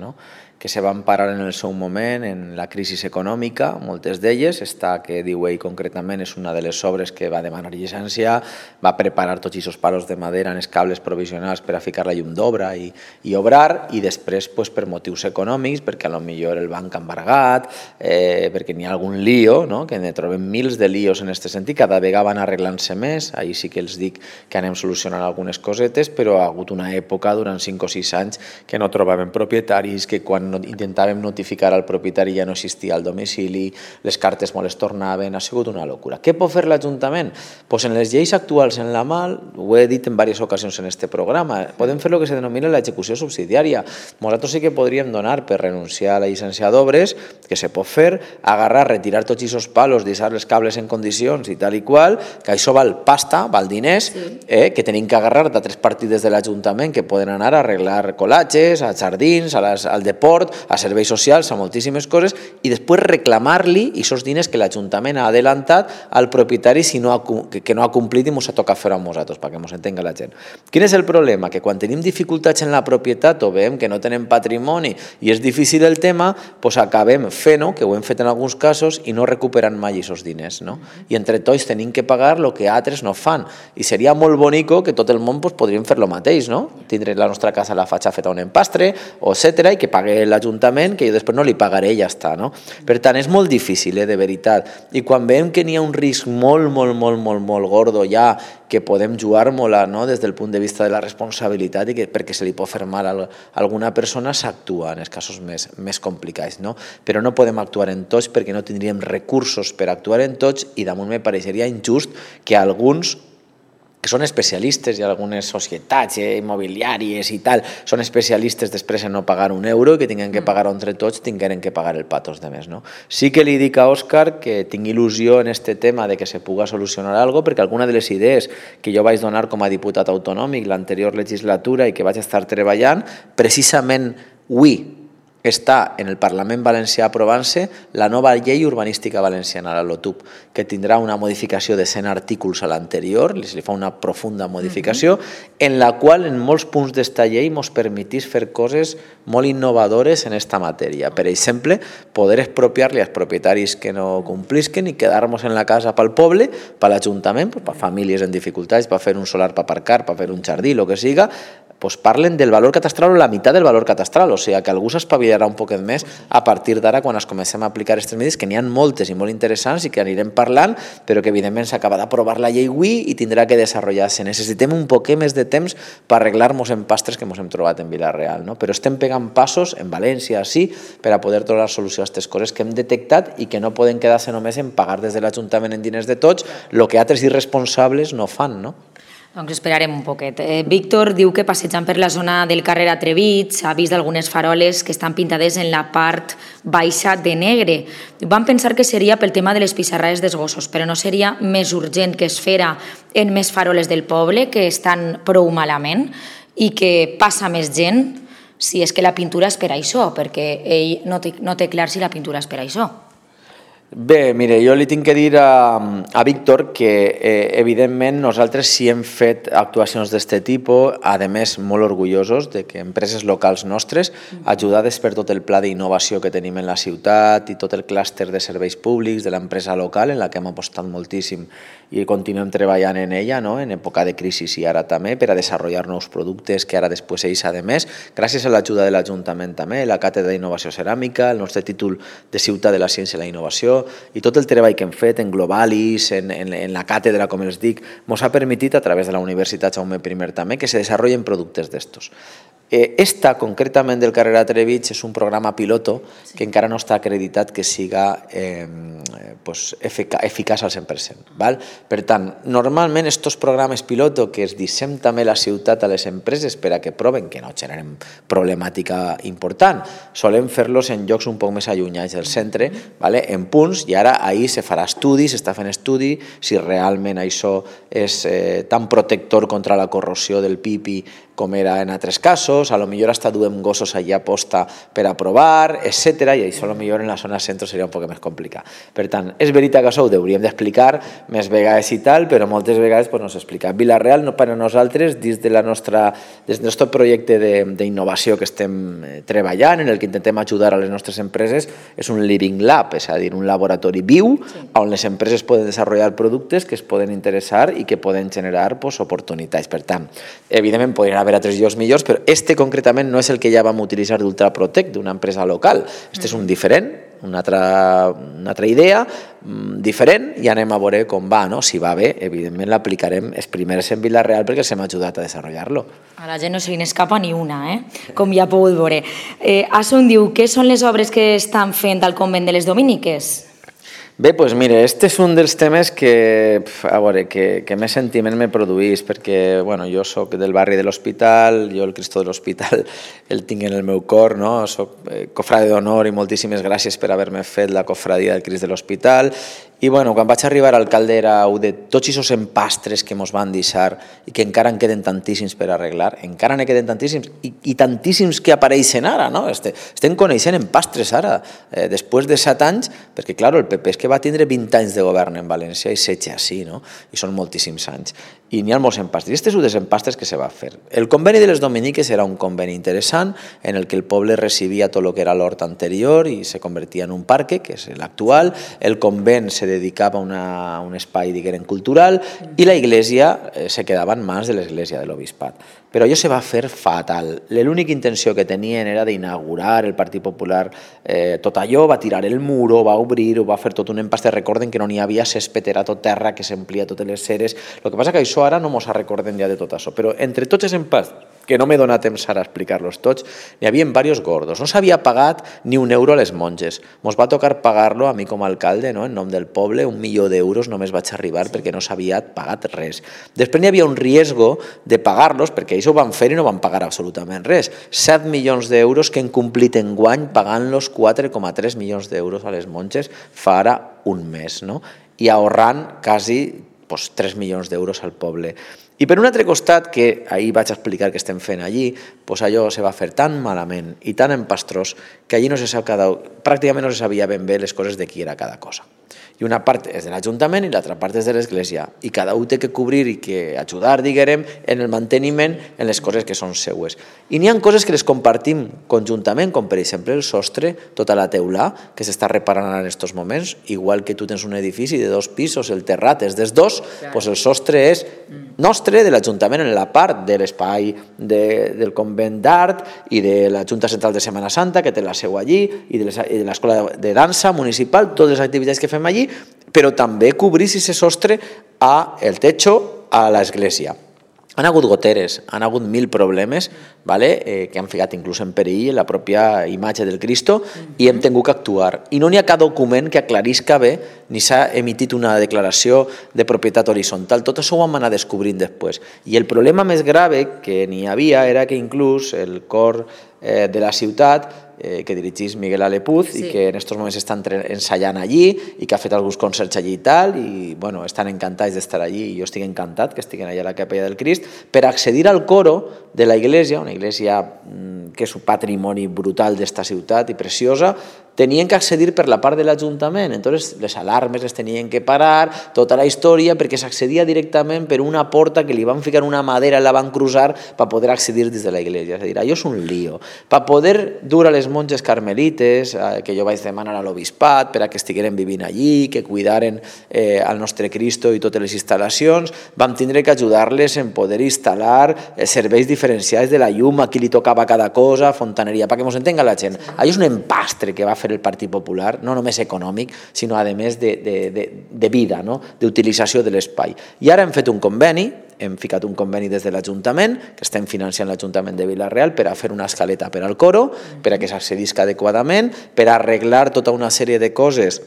que se van parar en el seu moment, en la crisi econòmica, moltes d'elles. Esta que diu ell concretament és una de les obres que va demanar llicència, va preparar tots aquests palos de madera en els cables provisionals per a ficar la llum d'obra i obrar, i després per motius econòmics, perquè potser el banc ha embargat, perquè n'hi ha algun lío, que ne trobem mils de líos en aquest sentit, cada vegada van arreglant-se més, ahir sí que els dic que anem solucionant algunes cosetes, però ha hagut una època durant 5 o 6 anys que no trobàvem propietaris, que quan intentàvem notificar al propietari ja no existia al domicili, les cartes molt es tornaven, ha sigut una locura. Què pot fer l'Ajuntament? Doncs en les lleis actuals en la mal, ho he dit en diverses ocasions en aquest programa, podem fer el que se denomina l'execució subsidiària. Nosaltres sí que podríem donar per renunciar a la llicència d'obres, que se pot fer, agarrar, retirar tots aquests palos, deixar els cables en condicions i tal i qual, que això val pasta, val diners, que tenim que agarrar d'altres partides de l'Ajuntament que poden anar a arreglar colatges, a jardins, al deport, a serveis socials, a moltíssimes coses, i després reclamar-li aquests diners que l'Ajuntament ha adelantat al propietari que no ha complit i ens ha tocat fer a nosaltres, perquè ens entenga la gent. Quin és el problema? Que quan tenim dificultats en la propietat o veiem que no tenem patrimoni i és difícil el tema, doncs acabem fent-ho, que ho hem fet en alguns casos, i no recuperant mai aquests diners. I entre tots tenim que pagar el que altres no fan. I seria molt bonico que tot el món podríem fer el mateix, tindre la nostra casa a la fatxa feta un empastre, etc., i que pague l'Ajuntament, que jo després no li pagaré i ja està. Per tant, és molt difícil, de veritat. I quan veiem que n'hi ha un risc molt, molt, molt, molt, molt gordo ja, que podem jugar-nos-la des del punt de vista de la responsabilitat i que perquè se li pot fer mal a alguna persona s'actua en els casos més complicats. Però no podem actuar en tots perquè no tindríem recursos per actuar en tots i damunt me pareixeria injust que alguns que són especialistes i algunes societats immobiliàries i tal, són especialistes després en no pagar un euro i que tinguin que pagar entre tots, tinguin que pagar el patos de més. Sí que li dic a Òscar que tinc il·lusió en este tema de que se puga solucionar alguna cosa, perquè alguna de les idees que jo vaig donar com a diputat autonòmic l'anterior legislatura i que vaig estar treballant, precisament avui està en el Parlament valencià aprovant-se la nova llei urbanística valenciana, la LOTUP, que tindrà una modificació de 100 artículs a l'anterior, se li fa una profunda modificació, en la qual en molts punts d'esta llei ens permetís fer coses molt innovadores en esta matèria. Per exemple, poder expropiar-li als propietaris que no complisquen i quedar-nos en la casa pel poble, per l'Ajuntament, per famílies en dificultats, per fer un solar per aparcar, per fer un jardí, el que siga, doncs parlen del valor catastral o la meitat del valor catastral, o sigui que algú s'espavilarà un poquet més a partir d'ara quan es comencem a aplicar aquestes mesures, que n'hi ha moltes i molt interessants i que anirem parlant, però que evidentment s'acaba d'aprovar la llei avui i tindrà que desenvolupar-se. Necessitem un poquet més de temps per arreglar-nos en pastres que ens hem trobat en Vila-real, però estem pegant passos en València, sí, per a poder trobar solució a aquestes coses que hem detectat i que no poden quedar-se només en pagar des de l'Ajuntament en diners de tots el que altres irresponsables no fan, Doncs esperarem un poquet. Víctor diu que passejant per la zona del carrer Atrevits ha vist algunes faroles que estan pintades en la part baixa de negre. Vam pensar que seria pel tema de les pissarrades dels gossos, però no seria més urgent que es fera en més faroles del poble que estan prou malament i que passa més gent si és que la pintura és per això, perquè ell no té clar si la pintura és per això. Bé, mire, jo li tinc que dir a Víctor que evidentment nosaltres sí hem fet actuacions d'aquest tipus, a més molt orgullosos de que empreses locals nostres, ajudades per tot el pla d'innovació que tenim en la ciutat i tot el clúster de serveis públics de l'empresa local en la que hem apostat moltíssim i continuem treballant en ella, en època de crisi i ara també, per a desenvolupar nous productes que ara després ells, a més, gràcies a l'ajuda de l'Ajuntament també, la Càtedra d'Innovació Ceràmica, el nostre títol de Ciutat de la Ciència i la Innovació, i tot el treball que hem fet en Globalis, en la càtedra, com els dic, ens ha permitit, a través de la Universitat Jaume I també, que se desenvolupen productes d'estos. Esta, concretament del carrer Atrevits, és un programa piloto que encara no està acreditat que siga eficaç al 100%. Per tant, normalment aquests programes piloto que es dissem també la ciutat a les empreses per a que proven que no generen problemàtica important, solem fer-los en llocs un poc més allunyats del centre, en punts, i ara ahir se farà estudi, s'està fent estudi, si realment això és tan protector contra la corrosió del pipi com era en altres casos, a lo millor hasta duem gossos allà posta per a provar, etc. I això a lo millor en la zona centre seria un poc més complicat. Per tant, és veritat que això ho hauríem d'explicar més vegades i tal, però moltes vegades no s'explica. Vila-real, per a nosaltres, dins del nostre projecte d'innovació que estem treballant, en el que intentem ajudar a les nostres empreses, és un living lab, és a dir, un laboratori viu on les empreses poden desenvolupar productes que es poden interessar i que poden generar oportunitats. Per tant, evidentment podrien haver altres llocs millors, però este concretament no és el que ja vam utilitzar d'Ultraprotec, d'una empresa local. Este és un diferent, una altra idea diferent, i anem a veure com va. Si va bé, evidentment l'aplicarem els primers en Vila-real perquè els hem ajudat a desenvolupar-lo. A la gent no se li n'escapa ni una, com ja ha pogut veure. Asun diu, què són les obres que estan fent al convent de les Dominiques? Bé, doncs mire, este és un dels temes que més sentiment me produís, perquè jo soc del barri de l'Hospital, jo el Cristo de l'Hospital el tinc en el meu cor, soc cofrade d'honor i moltíssimes gràcies per haver-me fet la cofradia del Crist de l'Hospital, I bueno, quan vaig arribar a alcalde era de tots aquests empastres que mos van deixar i que encara en queden tantíssims per arreglar, encara ne queden tantíssims i tantíssims que apareixen ara, no? Estem coneixent empastres ara, després de 7 anys, perquè clar, el PP és que va tindre 20 anys de govern en València i 16 així, no? I són moltíssims anys. I n'hi ha molts empastres. I aquest és un dels empastres que se va fer. El conveni de les Dominiques era un conveni interessant en el que el poble recibia tot el que era l'hort anterior i se convertia en un parque, que és l'actual. El convent se dedicava a un espai, diguem, cultural, i la iglesia se quedava en mans de l'església de l'obispat. Però allò se va fer fatal. L'única intenció que tenien era d'inaugurar el Partit Popular tot allò, va tirar el muro, va obrir, ho va fer tot un empastre. Recorden que no n'hi havia césped, era tot terra, que s'emplia totes les ceres. El que passa que això ara no mos recorden ja de tot això. Però entre tots els empastres, que no m'he donat temps ara a explicar-los tots, n'hi havia diversos gordos. No s'havia pagat ni un euro a les monges. Mos va tocar pagar-lo a mi com a alcalde, no? En nom del poble, 1 milió d'euros només vaig arribar perquè no s'havia pagat res. Després n'hi havia un riesgo de pagar-los, perquè ells ho van fer i no van pagar absolutament res. 7 milions d'euros que han complit enguany pagant-los 4,3 milions d'euros a les monges fa ara un mes, no? I ahorrant quasi 3 milions d'euros al poble. I per un altre costat, que ahir vaig explicar que estem fent allí, allò se va fer tan malament i tan empastrós que allí pràcticament no se sabia ben bé les coses de qui era cada cosa. I una part és de l'Ajuntament i l'altra part és de l'Església. I cada un té que cobrir i que ajudar, diguem, en el manteniment en les coses que són seues. I n'hi ha coses que les compartim conjuntament, com per exemple el sostre, tota la teula, que s'està reparant en aquests moments, igual que tu tens un edifici de 2 pisos, el terrat és dels 2, doncs el sostre és nostre, de l'Ajuntament, en la part de l'espai del convent d'art i de la Junta Central de Setmana Santa, que té la seu allí, i de l'escola de dansa municipal, totes les activitats que fem allí, però també cobrir si se sostre el techo a l'església. Han hagut goteres, han hagut 1000 problemes que han ficat inclús en perill la pròpia imatge del Cristo i hem tingut que actuar. I no n'hi ha cap document que aclarisca bé ni s'ha emitit una declaració de propietat horitzontal. Tot això ho vam anar descobrint després. I el problema més grave que n'hi havia era que inclús el cor de la ciutat que dirigís Miguel Alepuz i que en aquests moments estan ensaiant allí i que ha fet alguns concerts allí i tal i estan encantats d'estar allí i jo estic encantat que estiguin allà a la capella del Crist per accedir al coro de la iglesia, una iglesia que és un patrimoni brutal d'esta ciutat i preciosa, tenien que accedir per la part de l'Ajuntament, entonces les alarmes les tenien que parar, tota la història, perquè s'accedia directament per una porta que li van ficar una madera i la van cruzar per poder accedir des de la iglesia. És a dir, allò és un lío. Per poder dur a les monges carmelites, que jo vaig demanar a l'obispat per a que estigueren vivint allí, que cuidaren el nostre Cristo i totes les instal·lacions, vam tindre que ajudar-les en poder instal·lar serveis diferenciats de la llum, a qui li tocava cada cosa, fontaneria, perquè ens entenga la gent. Allò és un empastre que va fer el Partit Popular, no només econòmic, sinó a més de vida, d'utilització de l'espai. I ara hem fet un conveni, hem ficat un conveni des de l'Ajuntament, que estem financiant l'Ajuntament de Vila-real per a fer una escaleta per al coro, per a que s'accedisca adequadament, per a arreglar tota una sèrie de coses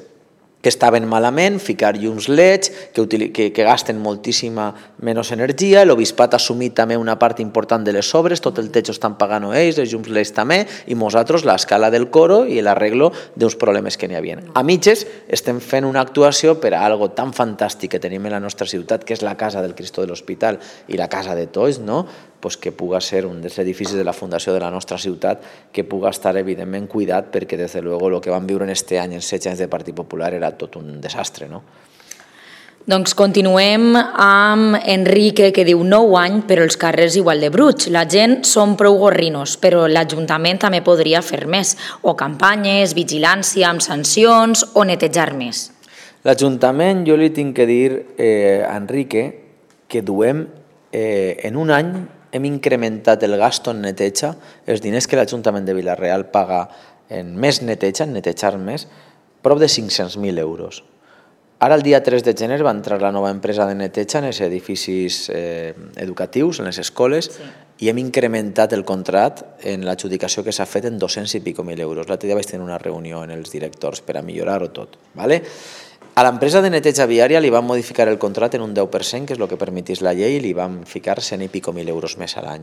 que estaven malament, ficar llums LEDs que gasten moltíssima menys energia, l'obispat ha assumit també una part important de les obres, tot el techo estan pagant ells, els llums LEDs també, i nosaltres l'escala del coro i l'arreglo d'uns problemes que n'hi havia. A mitges estem fent una actuació per a algo tan fantàstic que tenim en la nostra ciutat, que és la Casa del Cristo de l'Hospital i la Casa de Tots, que puga ser un dels edificis de la fundació de la nostra ciutat, que puga estar evidentment cuidat, perquè des de luego el que vam viure en este any, en 16 anys de Partit Popular, era tot un desastre, no? Doncs continuem amb Enrique, que diu 9 anys, però els carrers igual de bruts. La gent són prou gorrinos, però l'Ajuntament també podria fer més, o campanyes, vigilància amb sancions, o netejar més. L'Ajuntament, jo li tinc que dir a Enrique que duem en un any hem incrementat el gasto en neteja, els diners que l'Ajuntament de Vila-real paga en més neteja, en netejar més, prop de 500.000 euros. Ara, el dia 3 de gener, va entrar la nova empresa de neteja en els edificis educatius, en les escoles, i hem incrementat el contracte en l'adjudicació que s'ha fet en 200 i pico mil euros. L'altre dia vaig tenir una reunió amb els directors per a millorar-ho tot. A l'empresa de neteja viària li van modificar el contracte en un 10%, que és el que permetís la llei, i li van ficar 100 i pico mil euros més a l'any.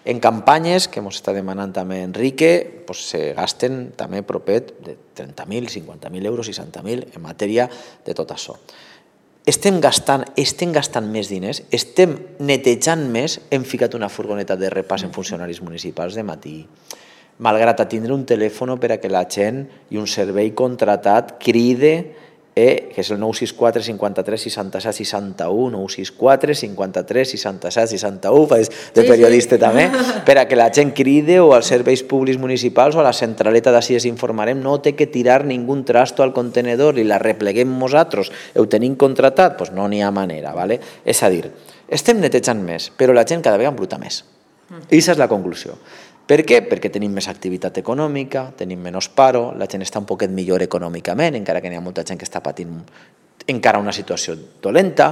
En campanyes, que ens està demanant també Enrique, se gasten també propet de 30.000, 50.000 euros, 60.000 en matèria de tot això. Estem gastant més diners, estem netejant més, hem ficat una furgoneta de repàs en funcionaris municipals de matí, malgrat a tindre un telèfon per a que la gent i un servei contratat cride, que és el 964 53 67 61, 964 53 67 61, faig de periodista també, per a que la gent cride o als serveis públics municipals o a la centraleta d'ací es informarem, no té que tirar ningú trasto al contenedor i la repleguem nosaltres, ho tenim contratat, doncs no n'hi ha manera, ¿vale? És a dir, estem netejant més, però la gent cada vegada embruta més. I aquesta és la conclusió. Per què? Perquè tenim més activitat econòmica, tenim menys paro, la gent està un poquet millor econòmicament, encara que n'hi ha molta gent que està patint encara una situació dolenta.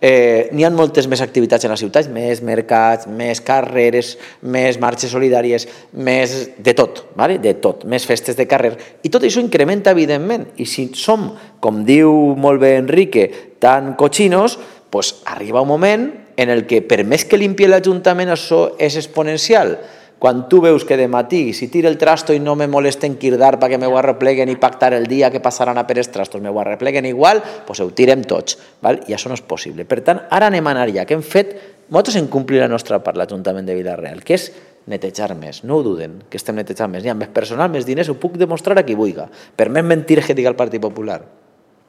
N'hi ha moltes més activitats en les ciutats, més mercats, més carreres, més marxes solidàries, més de tot, de tot, més festes de carrer. I tot això incrementa, evidentment. I si som, com diu molt bé Enrique, tan cochinos, doncs arriba un moment en el que per més que limpie l'Ajuntament això és exponencial. Quan tu veus que de matí, si tiro el trasto i no me molesten cridar perquè m'ho arrepleguen i pactar el dia que passaran a per els trastos, m'ho arrepleguen igual, doncs ho tirem tots. I això no és possible. Per tant, ara anem a anar ja, que hem fet, nosaltres hem complit la nostra part, l'Ajuntament de Vila-real, que és netejar més. No ho duden, que estem netejant més. N'hi ha més personal, més diners, ho puc demostrar a qui vulgui. Per més mentir que diga el Partit Popular.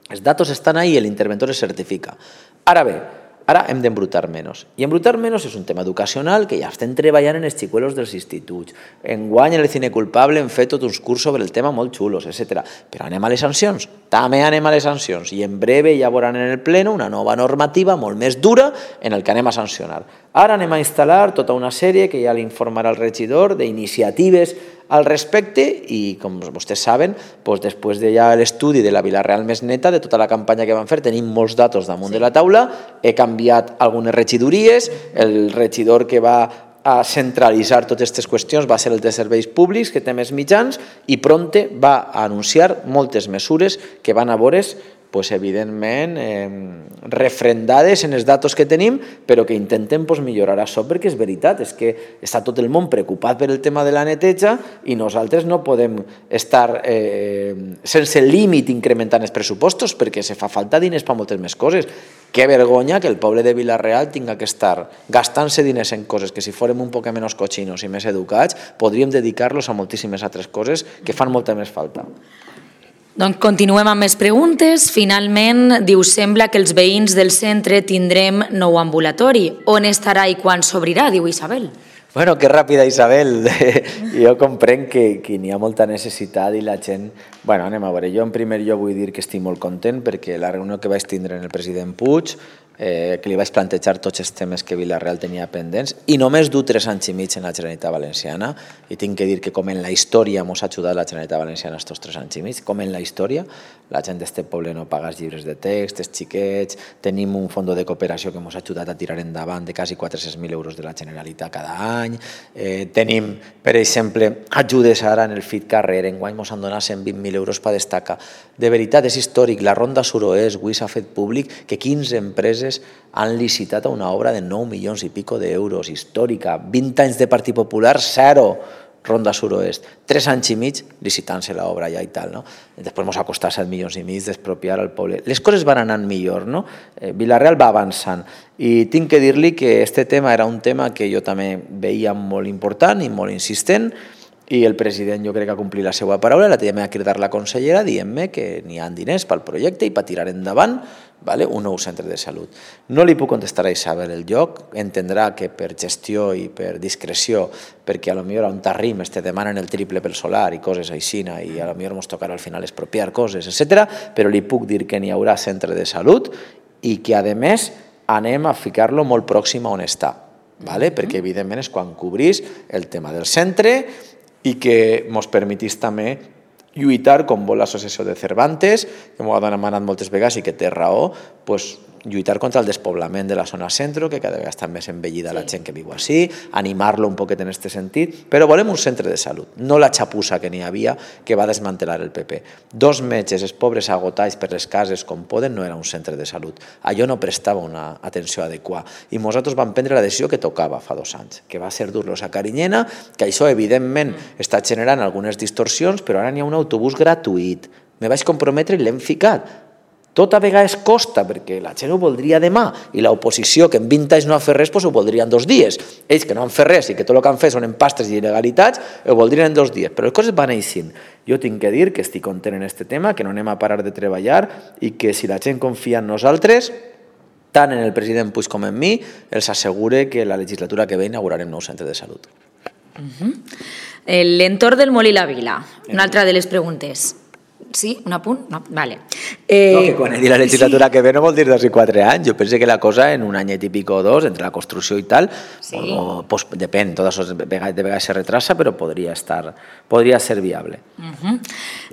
Els datos estan ahí i l'interventor es certifica. Ara bé, ara hem d'embrutar menys. I embrutar menys és un tema educacional que ja estem treballant en els xicuelos dels instituts. Enguany, en el Cine Culpable hem fet tot uns cursos sobre el tema molt xulos, etc. Però anem a les sancions. També anem a les sancions. I en breve ja veuran en el pleno una nova normativa molt més dura en el que anem a sancionar. Ara anem a instal·lar tota una sèrie que ja l'informarà el regidor d'iniciatives al respecte i, com vostès saben, després de ja l'estudi de la Vila-real més neta, de tota la campanya que van fer, tenim molts datos damunt de la taula, he canviat algunes regidories, el regidor que va a centralitzar totes aquestes qüestions va ser el de serveis públics, que té més mitjans, i prompte va anunciar moltes mesures que van a veure's evidentment refrendades en els datos que tenim, però que intentem millorar això, perquè és veritat, és que està tot el món preocupat per el tema de la neteja i nosaltres no podem estar sense límit incrementant els pressupostos perquè se fa falta diners per moltes més coses. Que vergonya que el poble de Vila-real tinga que estar gastant-se diners en coses que si fórem un poc menys cochinos i més educats podríem dedicar-los a moltíssimes altres coses que fan molta més falta. Doncs continuem amb més preguntes. Finalment, diu, sembla que els veïns del centre tindrem nou ambulatori. On estarà i quan s'obrirà, diu Isabel? Bueno, que ràpida, Isabel. Jo comprenc que n'hi ha molta necessitat i la gent... Bueno, anem a veure. Jo en primer lloc vull dir que estic molt content perquè la reunió que vaig tindre en el president Puig, que li vaig plantejar tots els temes que Vila-real tenia pendents i només du 3 anys i mig en la Generalitat Valenciana i tinc que dir que com en la història ens ha ajudat la Generalitat Valenciana estos 3 anys i mig, com en la història, la gent d'este poble no paga els llibres de text, els xiquets, tenim un fons de cooperació que ens ha ajudat a tirar endavant de quasi 400.000 euros de la Generalitat cada any, tenim, per exemple, ajudes ara en el FIT Carrer, enguany ens han donat 120.000 euros per destacar. De veritat, és històric, la Ronda Suroest, avui s'ha fet públic que 15 empreses han licitat a una obra de 9 milions i pico d'euros, històrica, 20 anys de Partit Popular, 0, Ronda Suroest, 3 anys i mig licitant-se l'obra ja i tal, no? Després ens ha costat 7 milions i mig d'expropiar al poble. Les coses van anant millor, no? Vila-real va avançant i tinc que dir-li que este tema era un tema que jo també veia molt important i molt insistent i el president jo crec que ha complit la seva paraula, la també a cridar la consellera dient-me que n'hi ha diners pel projecte i per tirar endavant un nou centre de salut. No li puc contestar a Isabel el lloc, entendrà que per gestió i per discreció, perquè a lo millor on t'arrimes te demanen el triple pel solar i coses així, i a lo millor ens tocarà al final expropiar coses, etc. Però li puc dir que n'hi haurà centre de salut i que, a més, anem a ficar-lo molt pròxim a on està, perquè evidentment és quan cobrís el tema del centre i que ens permetís també lluitar, com vol l'associació de Cervantes, que m'ho ha demanat moltes vegades i que té raó, lluitar contra el despoblament de la zona centro, que cada vegada està més envellida la gent que viu així, animar-lo un poquet en aquest sentit, però volem un centre de salut, no la xapussa que n'hi havia que va desmantelar el PP. 2 metges, els pobres agotats per les cases com poden, no era un centre de salut. Allò no prestava una atenció adequada. I nosaltres vam prendre la decisió que tocava fa 2 anys, que va ser dur-los a Carinyena, que això evidentment està generant algunes distorsions, però ara n'hi ha un autobús gratuït. Me vaig comprometre i l'hem ficat. Tot a vegades costa, perquè la gent ho voldria demà, i l'oposició, que en 20 anys no ha fet res, ho voldria en 2 dies. Ells, que no han fet res i que tot el que han fet són empastes i il·legalitats, ho voldrien en 2 dies. Però les coses van així. Jo tinc que dir que estic content en aquest tema, que no anem a parar de treballar i que si la gent confia en nosaltres, tant en el president Puig com en mi, els assegure que la legislatura que ve inaugurarem nou centre de salut. L'entorn del Molí la Vila, una altra de les preguntes. Sí? Un apunt? No? Vale. No, que quan he dit la legislatura que ve no vol dir 2 i 4 anys. Jo penso que la cosa en un anyet i pico o 2, entre la construcció i tal, pues, depèn, tot això de vegades se retrasa, però podria ser viable.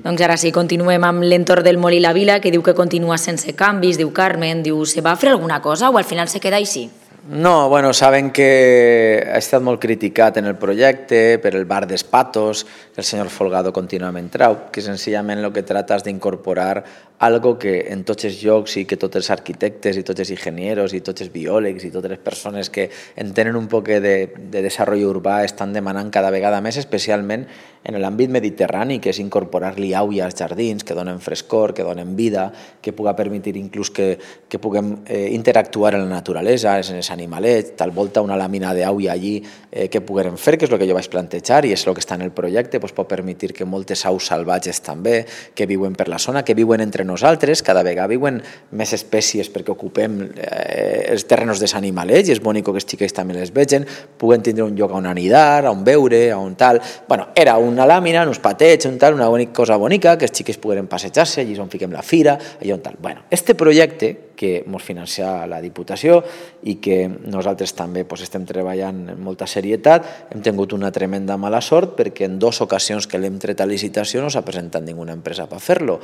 Doncs ara sí, continuem amb l'entorn del Molí la Vila, que diu que continua sense canvis, diu Carmen, diu, se va fer alguna cosa o al final se queda així? No, bueno, saben que ha estat molt criticat en el projecte per el bar d'Espatos, que el senyor Folgado contínuament trau, que senzillament el que trata és d'incorporar algo que en tots els llocs i que tots els arquitectes i tots els enginyers i tots els biòlegs i totes les persones que entenen un poc de desenvolupament urbà estan demanant cada vegada més, especialment en l'àmbit mediterrani, que és incorporar-li aigua als jardins, que donen frescor, que donen vida, que pugui permetre inclús que puguem interactuar en la naturalesa, en els animalets, tal volta una làmina d'aigua allí que puguem fer, que és el que jo vaig plantejar i és el que està en el projecte, pot permetre que moltes aus salvatges també, que viuen per la zona, que viuen entre nosaltres, cada vegada viuen més espècies perquè ocupem els terrenos dels animalets i és bonic que els xiquets també les vegin, puguen tindre un lloc on anidar, on veure, on tal. Bueno, era una làmina, uns patets, un tal, una cosa bonica, que els xiquets puguen passejar-se, allí on fiquem la fira, allà on tal. Bueno, este projecte que ens financia la Diputació i que nosaltres també estem treballant amb molta serietat, hem tingut una tremenda mala sort perquè en 2 ocasions que l'hem tret a licitació no s'ha presentat ninguna empresa per fer-lo.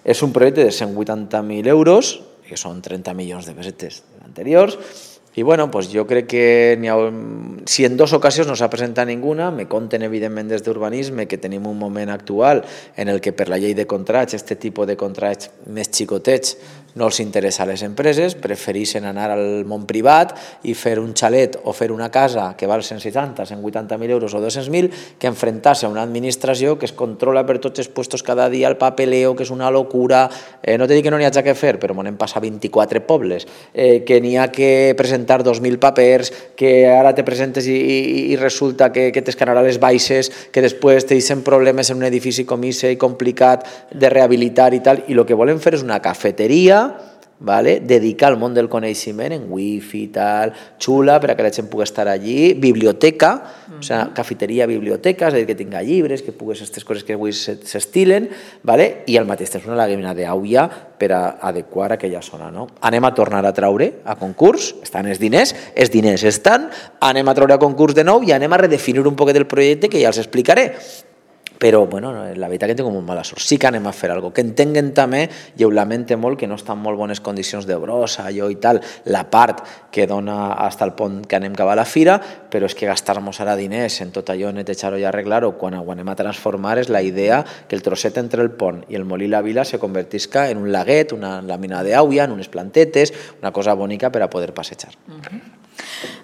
És un projecte de 180.000 euros, que són 30 milions de pessetes anteriors, i bueno, pues jo crec que si en 2 ocasions no s'ha presentat ninguna, me conten evidentment des d'urbanisme que tenim un moment actual en el que per la llei de contrats, aquest tipus de contrats més xicotets, no els interessa a les empreses, prefereixen anar al món privat i fer un xalet o fer una casa que val 160, 180.000 euros o 200.000 que enfrontar-se a una administració que es controla per tots els puestos cada dia, el papeleo, que és una locura, no te dic que no n'hi hagi que fer, però m'han passat 24 pobles, que n'hi ha que presentar 2.000 papers, que ara te presentes i resulta que t'escanarà les baixes, que després te deixen problemes en un edifici com ese i complicat de rehabilitar i tal, i el que volem fer és una cafeteria, dedicar al món del coneixement en wifi i tal, xula per a que la gent pugui estar allí, biblioteca, o sigui, cafeteria, biblioteca, és a dir, que tinga llibres, que pugues aquestes coses que avui s'estilen, i al mateix temps una làmina d'aigua per a adequar aquella zona. Anem a tornar a traure a concurs, estan els diners estan, anem a traure a concurs de nou i anem a redefinir un poquet el projecte que ja els explicaré. Però, bueno, la veritat que tinc molt mala sort. Sí que anem a fer alguna cosa. Que entenguen també, i ho lamento molt, que no està en molt bones condicions de brossa, allò i tal, la part que dona fins al pont que anem cap a la fira, però és que gastar-nos ara diners en tot allò, netejar-ho i arreglar-ho, quan ho anem a transformar és la idea que el trosset entre el pont i el Molí la Vila se convertisca en un laguet, una làmina d'aigua, en unes plantetes, una cosa bonica per a poder passejar.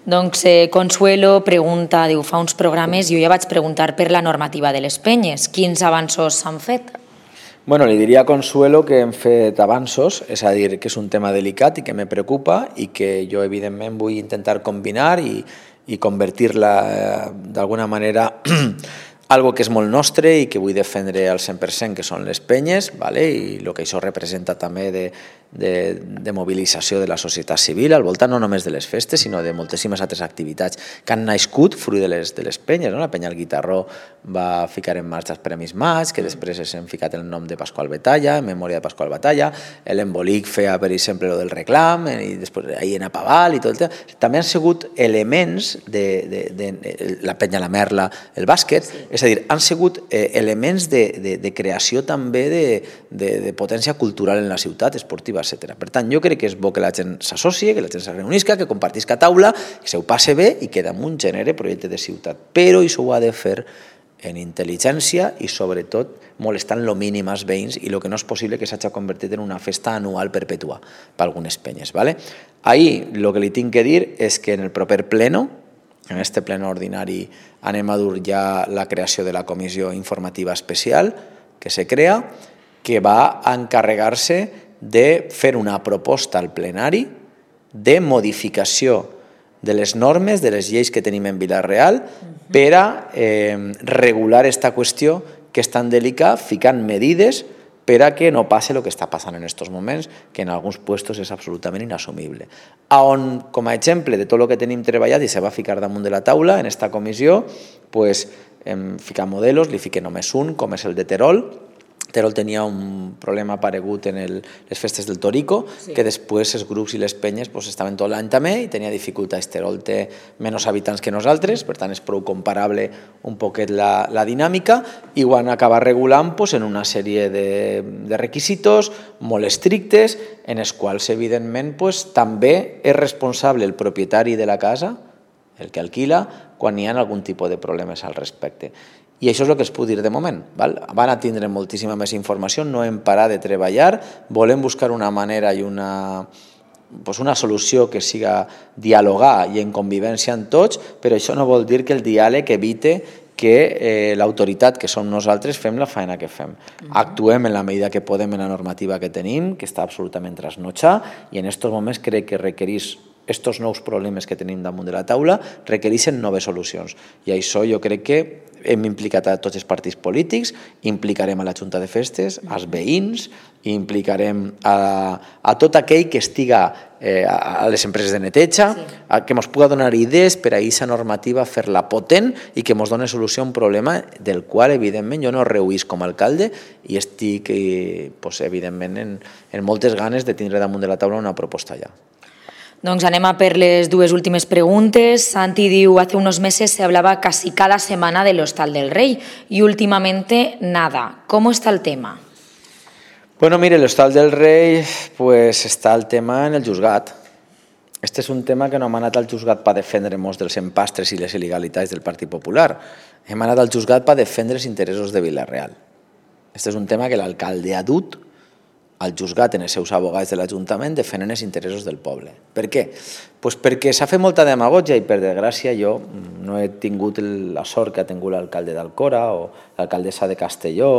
Doncs Consuelo pregunta, diu, fa uns programes jo ja vaig preguntar per la normativa de les penyes. Quins avanços s'han fet? Bueno, li diria a Consuelo que hem fet avanços, és a dir, que és un tema delicat i que me preocupa i que jo evidentment vull intentar combinar i convertir-la d'alguna manera algo que és molt nostre i que vull defendre al 100%, que són les penyes, i el que això representa també de mobilització de la societat civil al voltant no només de les festes, sinó de moltíssimes altres activitats que han nascut fruit de les penyes. La penya El Guitarró va ficar en marxa els Premis Maig, que després s'han ficat el nom de Pasqual Batalla, en memòria de Pasqual Batalla, l'Embolic feia, per exemple, el del reclam, i després ahir en Apaval i tot el tema. També han sigut elements de la penya La Merla, el bàsquet, és És a dir, han sigut elements de creació també de potència cultural en la ciutat, esportiva, etc. Per tant, jo crec que és bo que la gent s'associe, que la gent se reunisca, que compartisca taula, que se ho passe bé i que damunt genere projecte de ciutat. Però això ho ha de fer en intel·ligència i, sobretot, molestant lo mínim als veïns i el que no és possible que s'hagi convertit en una festa anual perpètua per algunes penyes. Ahir, el que li tinc que dir és que en el proper pleno, en este pleno ordinari, anem a dur ja la creació de la comissió informativa especial que se crea, que va a encarregar-se de fer una proposta al plenari de modificació de les normes, de les lleis que tenim en Vila-real per a regular aquesta qüestió que és tan delicada, ficant medides per a que no passi el que està passant en aquests moments, que en alguns puestos és absolutament inassumible. On, com a exemple de tot el que tenim treballat i se va ficar damunt de la taula en aquesta comissió, hem ficat modelos, li fiquem només un, com és el de Terol. Terol tenia un problema aparegut en les festes del Torico, que després els grups i les penyes estaven tot l'any també i tenia dificultats. Terol té menys habitants que nosaltres, per tant és prou comparable un poquet la dinàmica, i ho han acabat regulant en una sèrie de requisitos molt estrictes, en els quals evidentment també és responsable el propietari de la casa, el que alquila, quan hi ha algun tipus de problemes al respecte. I això és el que es puc dir de moment. Van a tindre moltíssima més informació, no hem parat de treballar, volem buscar una manera i una solució que siga dialogar i en convivència amb tots, però això no vol dir que el diàleg evite que l'autoritat, que som nosaltres, fem la feina que fem. Actuem en la medida que podem en la normativa que tenim, que està absolutament trasnotxada, i en aquests moments crec que requereix aquests nous problemes que tenim damunt de la taula requereixen noves solucions. I això jo crec que hem implicat a tots els partits polítics, implicarem a la Junta de Festes, als veïns, implicarem a tot aquell que estiga a les empreses de neteja, que ens pugui donar idees per a aquesta normativa, fer-la potent i que ens doni solució a un problema del qual, evidentment, jo no rehuís com a alcalde i estic, evidentment, en moltes ganes de tindre damunt de la taula una proposta ja. Doncs anem a per les dues últimes preguntes. Santi diu, hace unos meses se hablaba casi cada semana del Hostal del Rey y últimamente nada. ¿Cómo está el tema? Bueno, mire, el Hostal del Rey, pues està el tema en el juzgat. Este és un tema que no hem anat al juzgat per defendre-nos dels empastres i les il·legalitats del Partit Popular. Hem anat al juzgat per defendre els interessos de Vila-real. Este és un tema que l'alcalde ha dut al juzgat en els seus abogats de l'Ajuntament defenen els interessos del poble. Per què? Pues perquè s'ha fet molta demagogia i per desgràcia jo no he tingut la sort que ha tingut l'alcalde d'Alcora o l'alcaldessa de Castelló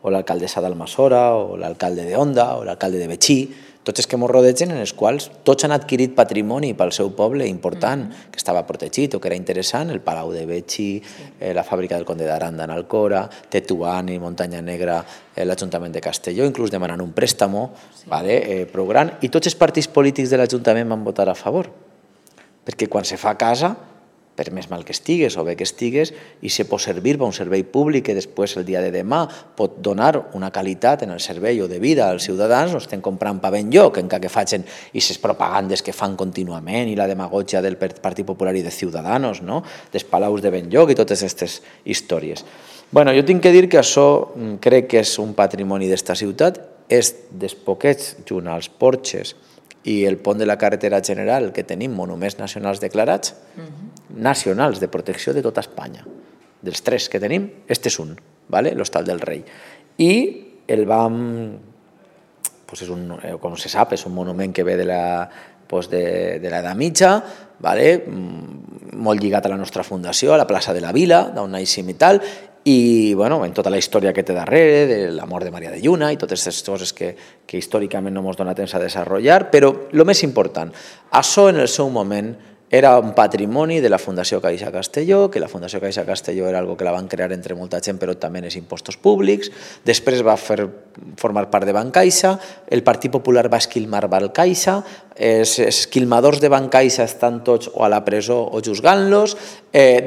o l'alcaldessa d'Almassora o l'alcalde d'Onda o l'alcalde de Betxí, tots els que ens rodegen en els quals tots han adquirit patrimoni pel seu poble important, que estava protegit o que era interessant, el Palau de Betxí, la fàbrica del Conde d'Aranda en Alcora, Tetuán i Muntanya Negra, l'Ajuntament de Castelló, inclús demanant un préstamo prou gran, i tots els partits polítics de l'Ajuntament van votar a favor, perquè quan se fa casa, per més mal que estigues o bé que estigues, i se pot servir per un servei públic que després el dia de demà pot donar una qualitat en el servei o de vida als ciutadans, no estem comprant pa ben lloc, encara que facin aquestes propagandes que fan contínuament i la demagogia del Partit Popular i de Ciudadanos, dels palaus de ben lloc i totes aquestes històries. Bueno, jo tinc que dir que això crec que és un patrimoni d'esta ciutat, és dels poquets, junt als porxes i el pont de la carretera general que tenim monuments nacionals declarats, nacionals de protecció de tota Espanya. Dels 3 que tenim, este és un, l'Hostal del Rei. I el vam, com se sap, és un monument que ve de l'edat mitja, molt lligat a la nostra fundació, a la plaça de la Vila, d'on naixem i tal, i en tota la història que té darrere, de la mort de Maria de Lluna i totes aquestes coses que històricament no ens dona temps a desenvolupar, però el més important, això en el seu moment era un patrimoni de la Fundació Caixa Castelló, que la Fundació Caixa Castelló era algo que la van crear entre molta gent, però també en els impostos públics. Després va formar part de Bancaixa, el Partit Popular va esquilmar Bancaixa, els esquilmadors de Bancaixa estan tots o a la presó o juzgant-los,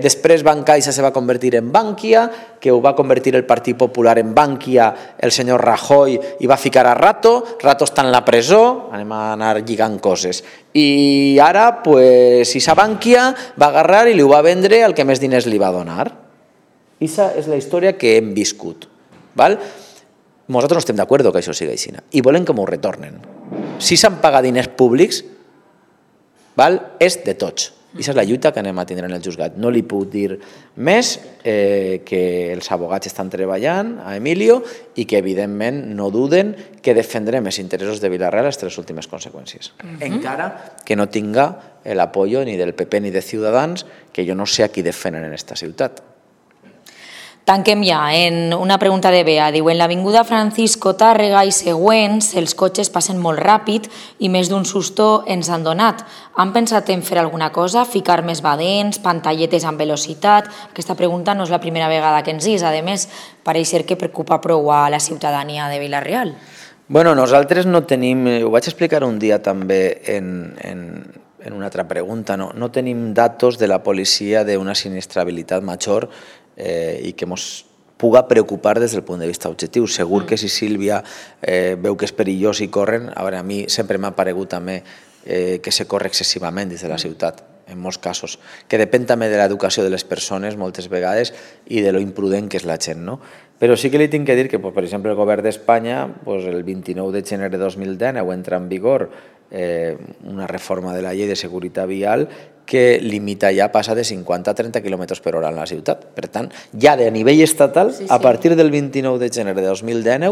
després Bancaixa se va convertir en Bankia, que ho va convertir el Partit Popular en Bankia, el senyor Rajoy, i va ficar a Rato està en la presó, anem a anar lligant coses. I ara, si sa Bankia va agarrar i li ho va vendre al que més diners li va donar. Aquesta és la història que hem viscut. Val? Nosaltres no estem d'acord que això sigui així i volem que m'ho retornen. Si s'han pagat diners públics, és de tots. Aquesta és la lluita que anem a tindre en el juzgat. No li puc dir més que els abogats estan treballant a Emilio i que evidentment no duden que defendrem els interessos de Vila-real les 3 últimes conseqüències. Encara que no tinga l'apoyo ni del PP ni de Ciutadans, que jo no sé a qui defenen en esta ciutat. Tanquem ja en una pregunta de Bea. Diu, en l'avinguda Francisco Tàrrega i següents, els cotxes passen molt ràpid i més d'un susto ens han donat. Han pensat en fer alguna cosa? Ficar més badents, pantalletes amb velocitat? Aquesta pregunta no és la primera vegada que ens és. A més, pareix ser que preocupa prou a la ciutadania de Vila-real. Bueno, nosaltres no tenim, ho vaig explicar un dia també en una altra pregunta, no tenim datos de la policia d'una sinistrabilitat major i que ens puga preocupar des del punt de vista objectiu. Segur que si Sílvia veu que és perillós i corren, a mi sempre m'ha paregut també que se corre excessivament des de la ciutat, en molts casos, que depèn també de l'educació de les persones moltes vegades i de lo imprudent que és la gent, no? Però sí que li tinc que dir que, per exemple, el govern d'Espanya, el 29 de gener de 2019 entra en vigor una reforma de la llei de seguretat vial que limita ja, passa de 50 a 30 km per hora en la ciutat. Per tant, ja de nivell estatal, a partir del 29 de gener de 2019,